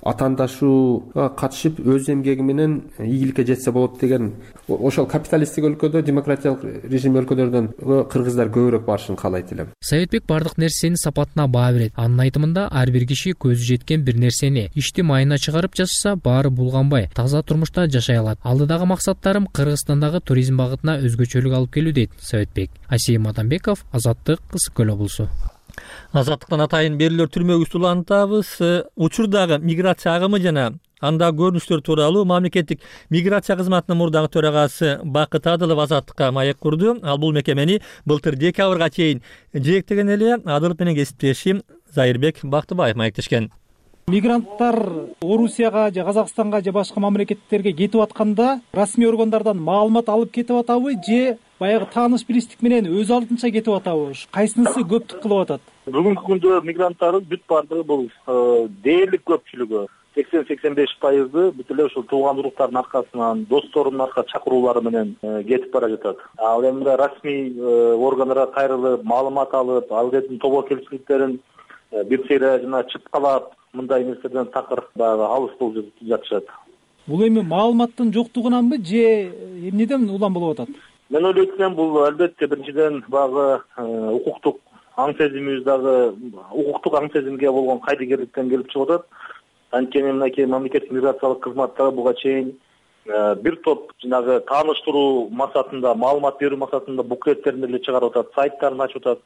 атаандашууга катышып, өз эмгеги менен ийгиликке жетсе болот деген. Ошол капиталисттик өлкөдө, демократиялык режим өлкөлөрдөн кыргыздар көбүрөөк барышын каалайт элем. Советбек бардык нерсенин сапатына баа берет. Анын айтымында, ар бир киши көзү жеткен бир нерсени ишти майына чыгарып жашаса, баары булганбай, таза турмушта жашай алат. Алдыдагы максаттарым Кыргызстандагы туризм багытына өзгөчөлүк алып келүү дейт Советбек. Асейин Мадамбеков, Азаттык, Ысык Көл облусу. Азаттыктан атайын берүүлөр түрмөгүбүздү улантабыз. Учурдагы миграция агымы жана анда көрүнүштөр тууралуу мамлекеттик миграция кызматынын мурдагы төрагасы Бакыт Адылов Азаттыкка маек курду. Ал бул мекемени былтыр декабрга чейин жетектеген эле. Адылов менен кесиптешим Зайырбек Бактыбаев маектешкен. Мигранттар Орусияга же Казакстанга же башка мамлекеттерге кетип атканда расмий органдардан маалымат алып кетип атабы же баягы тааныш билиштик менен өз алдынча кетип атабы? Кайсынысы көптүк кылып атат? Бүгүнкү күндө мигранттардын бүт бардыгы бул дээрлик көпчүлүгү сексен сексен беш пайызы бүт эле ушул тууган уруктардын аркасынан, досторунун арка чакыруулары менен кетип бара жатат. Ал эми расмий органдарга кайрылып, маалымат алып, ал жердин тобокелчиликтерин бир сыйра жана чыткалап, мындай нерседен такыр баягы алыс болуп жатышат. Бул эми маалыматтын жоктугунанбы же эмнеден улам болуп атат? Мен ойлойт элем, бул албетте биринчиден баягы укуктук аң сезимибиз дагы укуктук аң сезимге болгон кайдыгерликтен келип чыгып атат. Анткени мынакей мамлекеттик миграциялык кызматтар буга чейин бир топ жанагы тааныштыруу максатында, маалымат берүү максатында буклеттерин эле чыгарып атат, сайттарын ачып атат.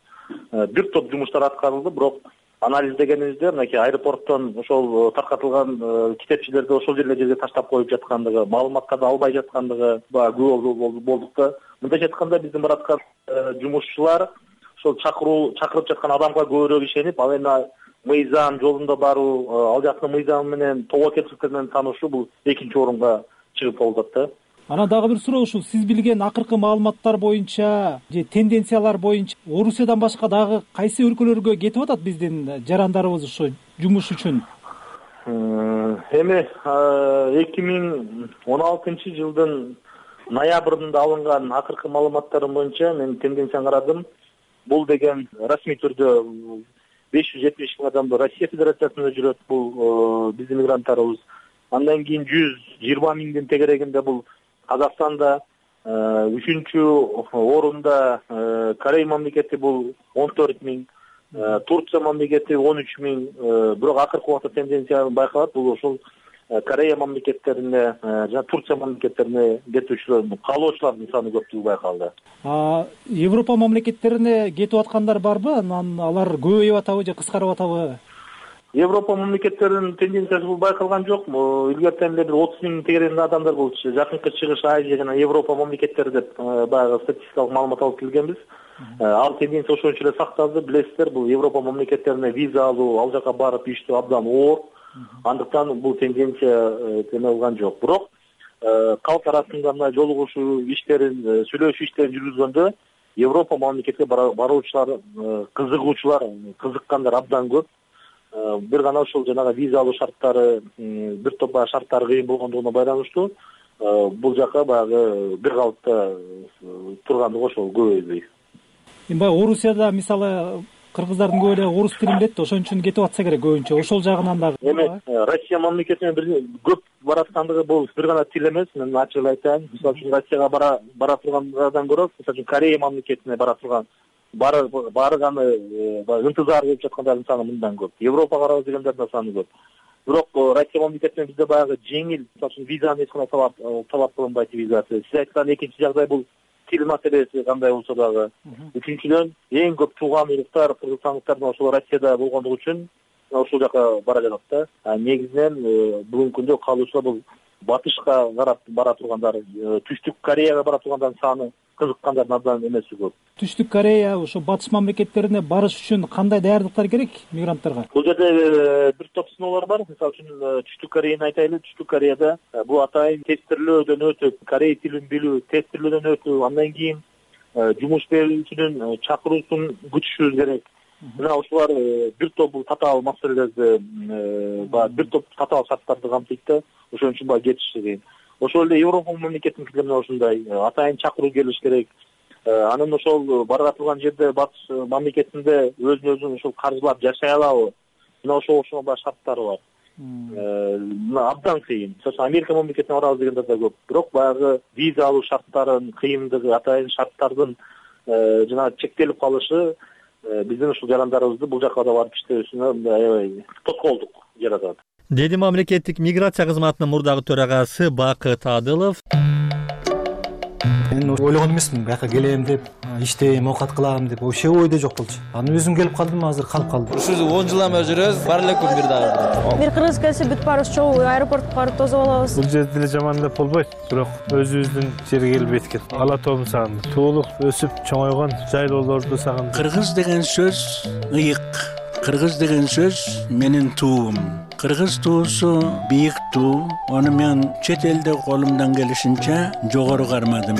Бир топ жумуштар аткарылды, бирок анализдегенибизде мынакей аэропорттон ошол таркатылган китепчелерди ошол жерге жерге таштап коюп жаткандыгы, маалыматтарды албай жаткандыгы баягы күбө болдук да. Мындайча айтканда биздин бараткан жумушчулар ошол чакыруу чакырып жаткан адамга көбүрөөк ишенип, ал эми мыйзам жолунда баруу, ал жактын мыйзамы менен тобо кепсиздер менен таанышуу бул экинчи орунга чыгып болот да. Анан дагы бир суроо ушул, сиз билген акыркы маалыматтар боюнча же тенденциялар боюнча Орусиядан башка дагы кайсы өлкөлөргө кетип атат биздин жарандарыбыз ошо жумуш үчүн? Эми эки миң он алтынчы жылдын ноябрында алынган акыркы маалыматтарым боюнча мен тенденцияны карадым. Бул деген расмий түрдө беш жүз жетимиш миң адам Россия Федерациясында жүрөт, бул биздин мигранттарыбыз. Андан кийин жүз жыйырма миңдин тегерегинде бул Казакстанда, үчүнчү орунда Корей мамлекети бул он төрт миң, Турция мамлекети он үч миң, бирок акыркы убакта тенденция байкалат, бул ошол Корея мамлекеттерине жана Турция мамлекеттерине кетүүчүлөр, калоочулардын саны көптүгү байкалды. Европа мамлекеттерине кетип аткандар барбы? Анан алар көбөйүп атабы же кыскарып атабы? Европа мамлекеттеринин тенденциясы бул байкалган жок. Илгертен эле бир отуз миң тегерегинде адамдар бул Жакынкы Чыгыш, Азия жана Европа мамлекеттери деп баягы статистикалык маалымат алып келгенбиз. Ал тенденция ошончо эле сакталды. Билесиздер, бул Европа мамлекеттерине виза алуу, ал жака барып иштөө абдан оор. Андыктан бул тенденция теме алган жок. Бирок калк арасында мына жолугушуу иштерин, сүйлөшүү иштерин жүргүзгөндө Европа мамлекетке баруучулар, кызыгуучулар, кызыккандар абдан көп. Бир гана ошол жанагы виза алуу шарттары, бир топ шарттары кыйын болгондугуна байланыштуу бул жака баягы бир калыпта тургандыгы ошол көбөйбөй. Эми баягы Орусияда мисалы кыргыздардын көбү эле орус тилин билет, ошон үчүн кетип атса керек көбүнчө. Ошол жагынан дагы. Эми Россия мамлекетине бир көп бараткандыгы бул бир гана тил эмес, мен ачык эле айтайын. Мисалы үчүн Россияга бара бара тургандардан көрө, мисалы үчүн Корея мамлекетине бара турган бары барганы ынтызар кылып жаткандардын саны мындан көп. Европага барабыз дегендердин саны көп. Бирок Россия мамлекетинен бизде баягы жеңил, мисалы үчүн визаны эч кандай талап талап кылынбайт визасы. Сиз айткан экинчи жагдай бул тил маселеси кандай болсо дагы. Үчүнчүдөн эң көп тууган уруктар кыргызстандыктардын ошол Россияда болгондугу үчүн ошол жака бара жатат да. А негизинен бүгүнкү күндө калуучулар бул батышка карап бара тургандар, Түштүк Кореяга бара тургандардын саны кызыккандардын абдан эмеси көп. Түштүк Корея, ошо батыш мамлекеттерине барыш үчүн кандай даярдыктар керек мигранттарга? Бул жерде бир топ сыноолор бар. Мисалы үчүн Түштүк Кореяны айтайлы. Түштүк Кореяда бул атайын тестирлөөдөн өтүп, корей тилин билүү, тестирлөөдөн өтүп, андан кийин жумуш берүүчүнүн чакыруусун күтүшүбүз керек. Мына ушулар бир топ бул татаал маселелерди, бир топ татаал шарттарды камтыйт да. Ошон үчүн баягы кетиш кыйын. Ошол эле Европа мамлекетинин ошондой атайын чакыруу келиш керек. Анан ошол бара турган жерде батыш мамлекетинде өзүн өзүн ошол каржылап жашай алабы? Мына ошол ошол баягы шарттары бар. Мына абдан кыйын. Мисалы Америка мамлекетине барабыз дегендер да көп. Бирок баягы виза алуу шарттарынын кыйындыгы, атайын шарттардын жана чектелип калышы биздин ушул жарандарыбызды бул жака да барып иштөөсүнө аябай тоскоолдук жаратат. Деди мамлекеттик миграция кызматынын мурдагы төрагасы Бакыт Адылов. Мен ойлогон эмесмин, бияка келем деп, иштейм, оокат кылам деп, вообще ойдо жок болчу. Аны өзүм келип калдым, азыр калып калдым. Ушул он жылдан бери жүрөбүз, бар эле күн бир дагы. Бир кыргыз келсе бүт баарыбыз чогуу аэропортко барып тосуп алабыз. Бул жерде деле жаман деп болбойт, бирок өзүбүздүн жерге келип эткет. Ала тоом сагындым. Туулук, өсүп, чоңойгон жайлоолорду сагындым. Кыргыз деген сөз ыйык. Кыргыз деген сөз менин туум. Кыргыз туусу бийик туу. Аны мен чет элде колумдан келишинче жогору кармадым.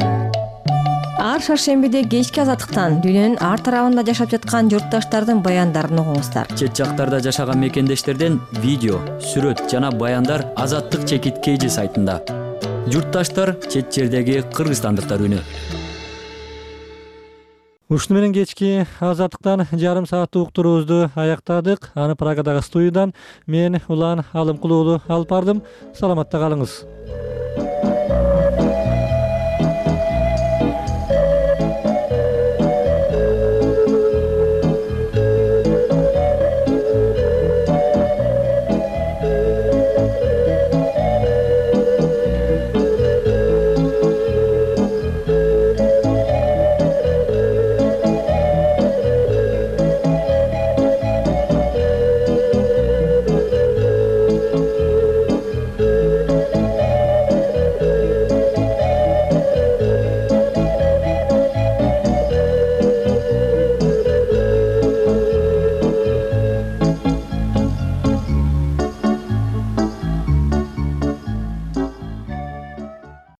Ар шаршембиде кечки азаттыктан дүйнөнүн ар тарабында жашап жаткан журтташтардын баяндарын угуңуздар. Чет жактарда жашаган мекендештерден видео, сүрөт жана баяндар Азаттык чекит Кж сайтында. Журтташтар чет жердеги кыргызстандыктар үнү. Ушуну менен кечки Азаттыктан жарым сааттык уктуруубузду аяктадык. Аны Прагадагы студиядан мен Улан Алымкулуулу алып бардым. Саламатта калыңыз.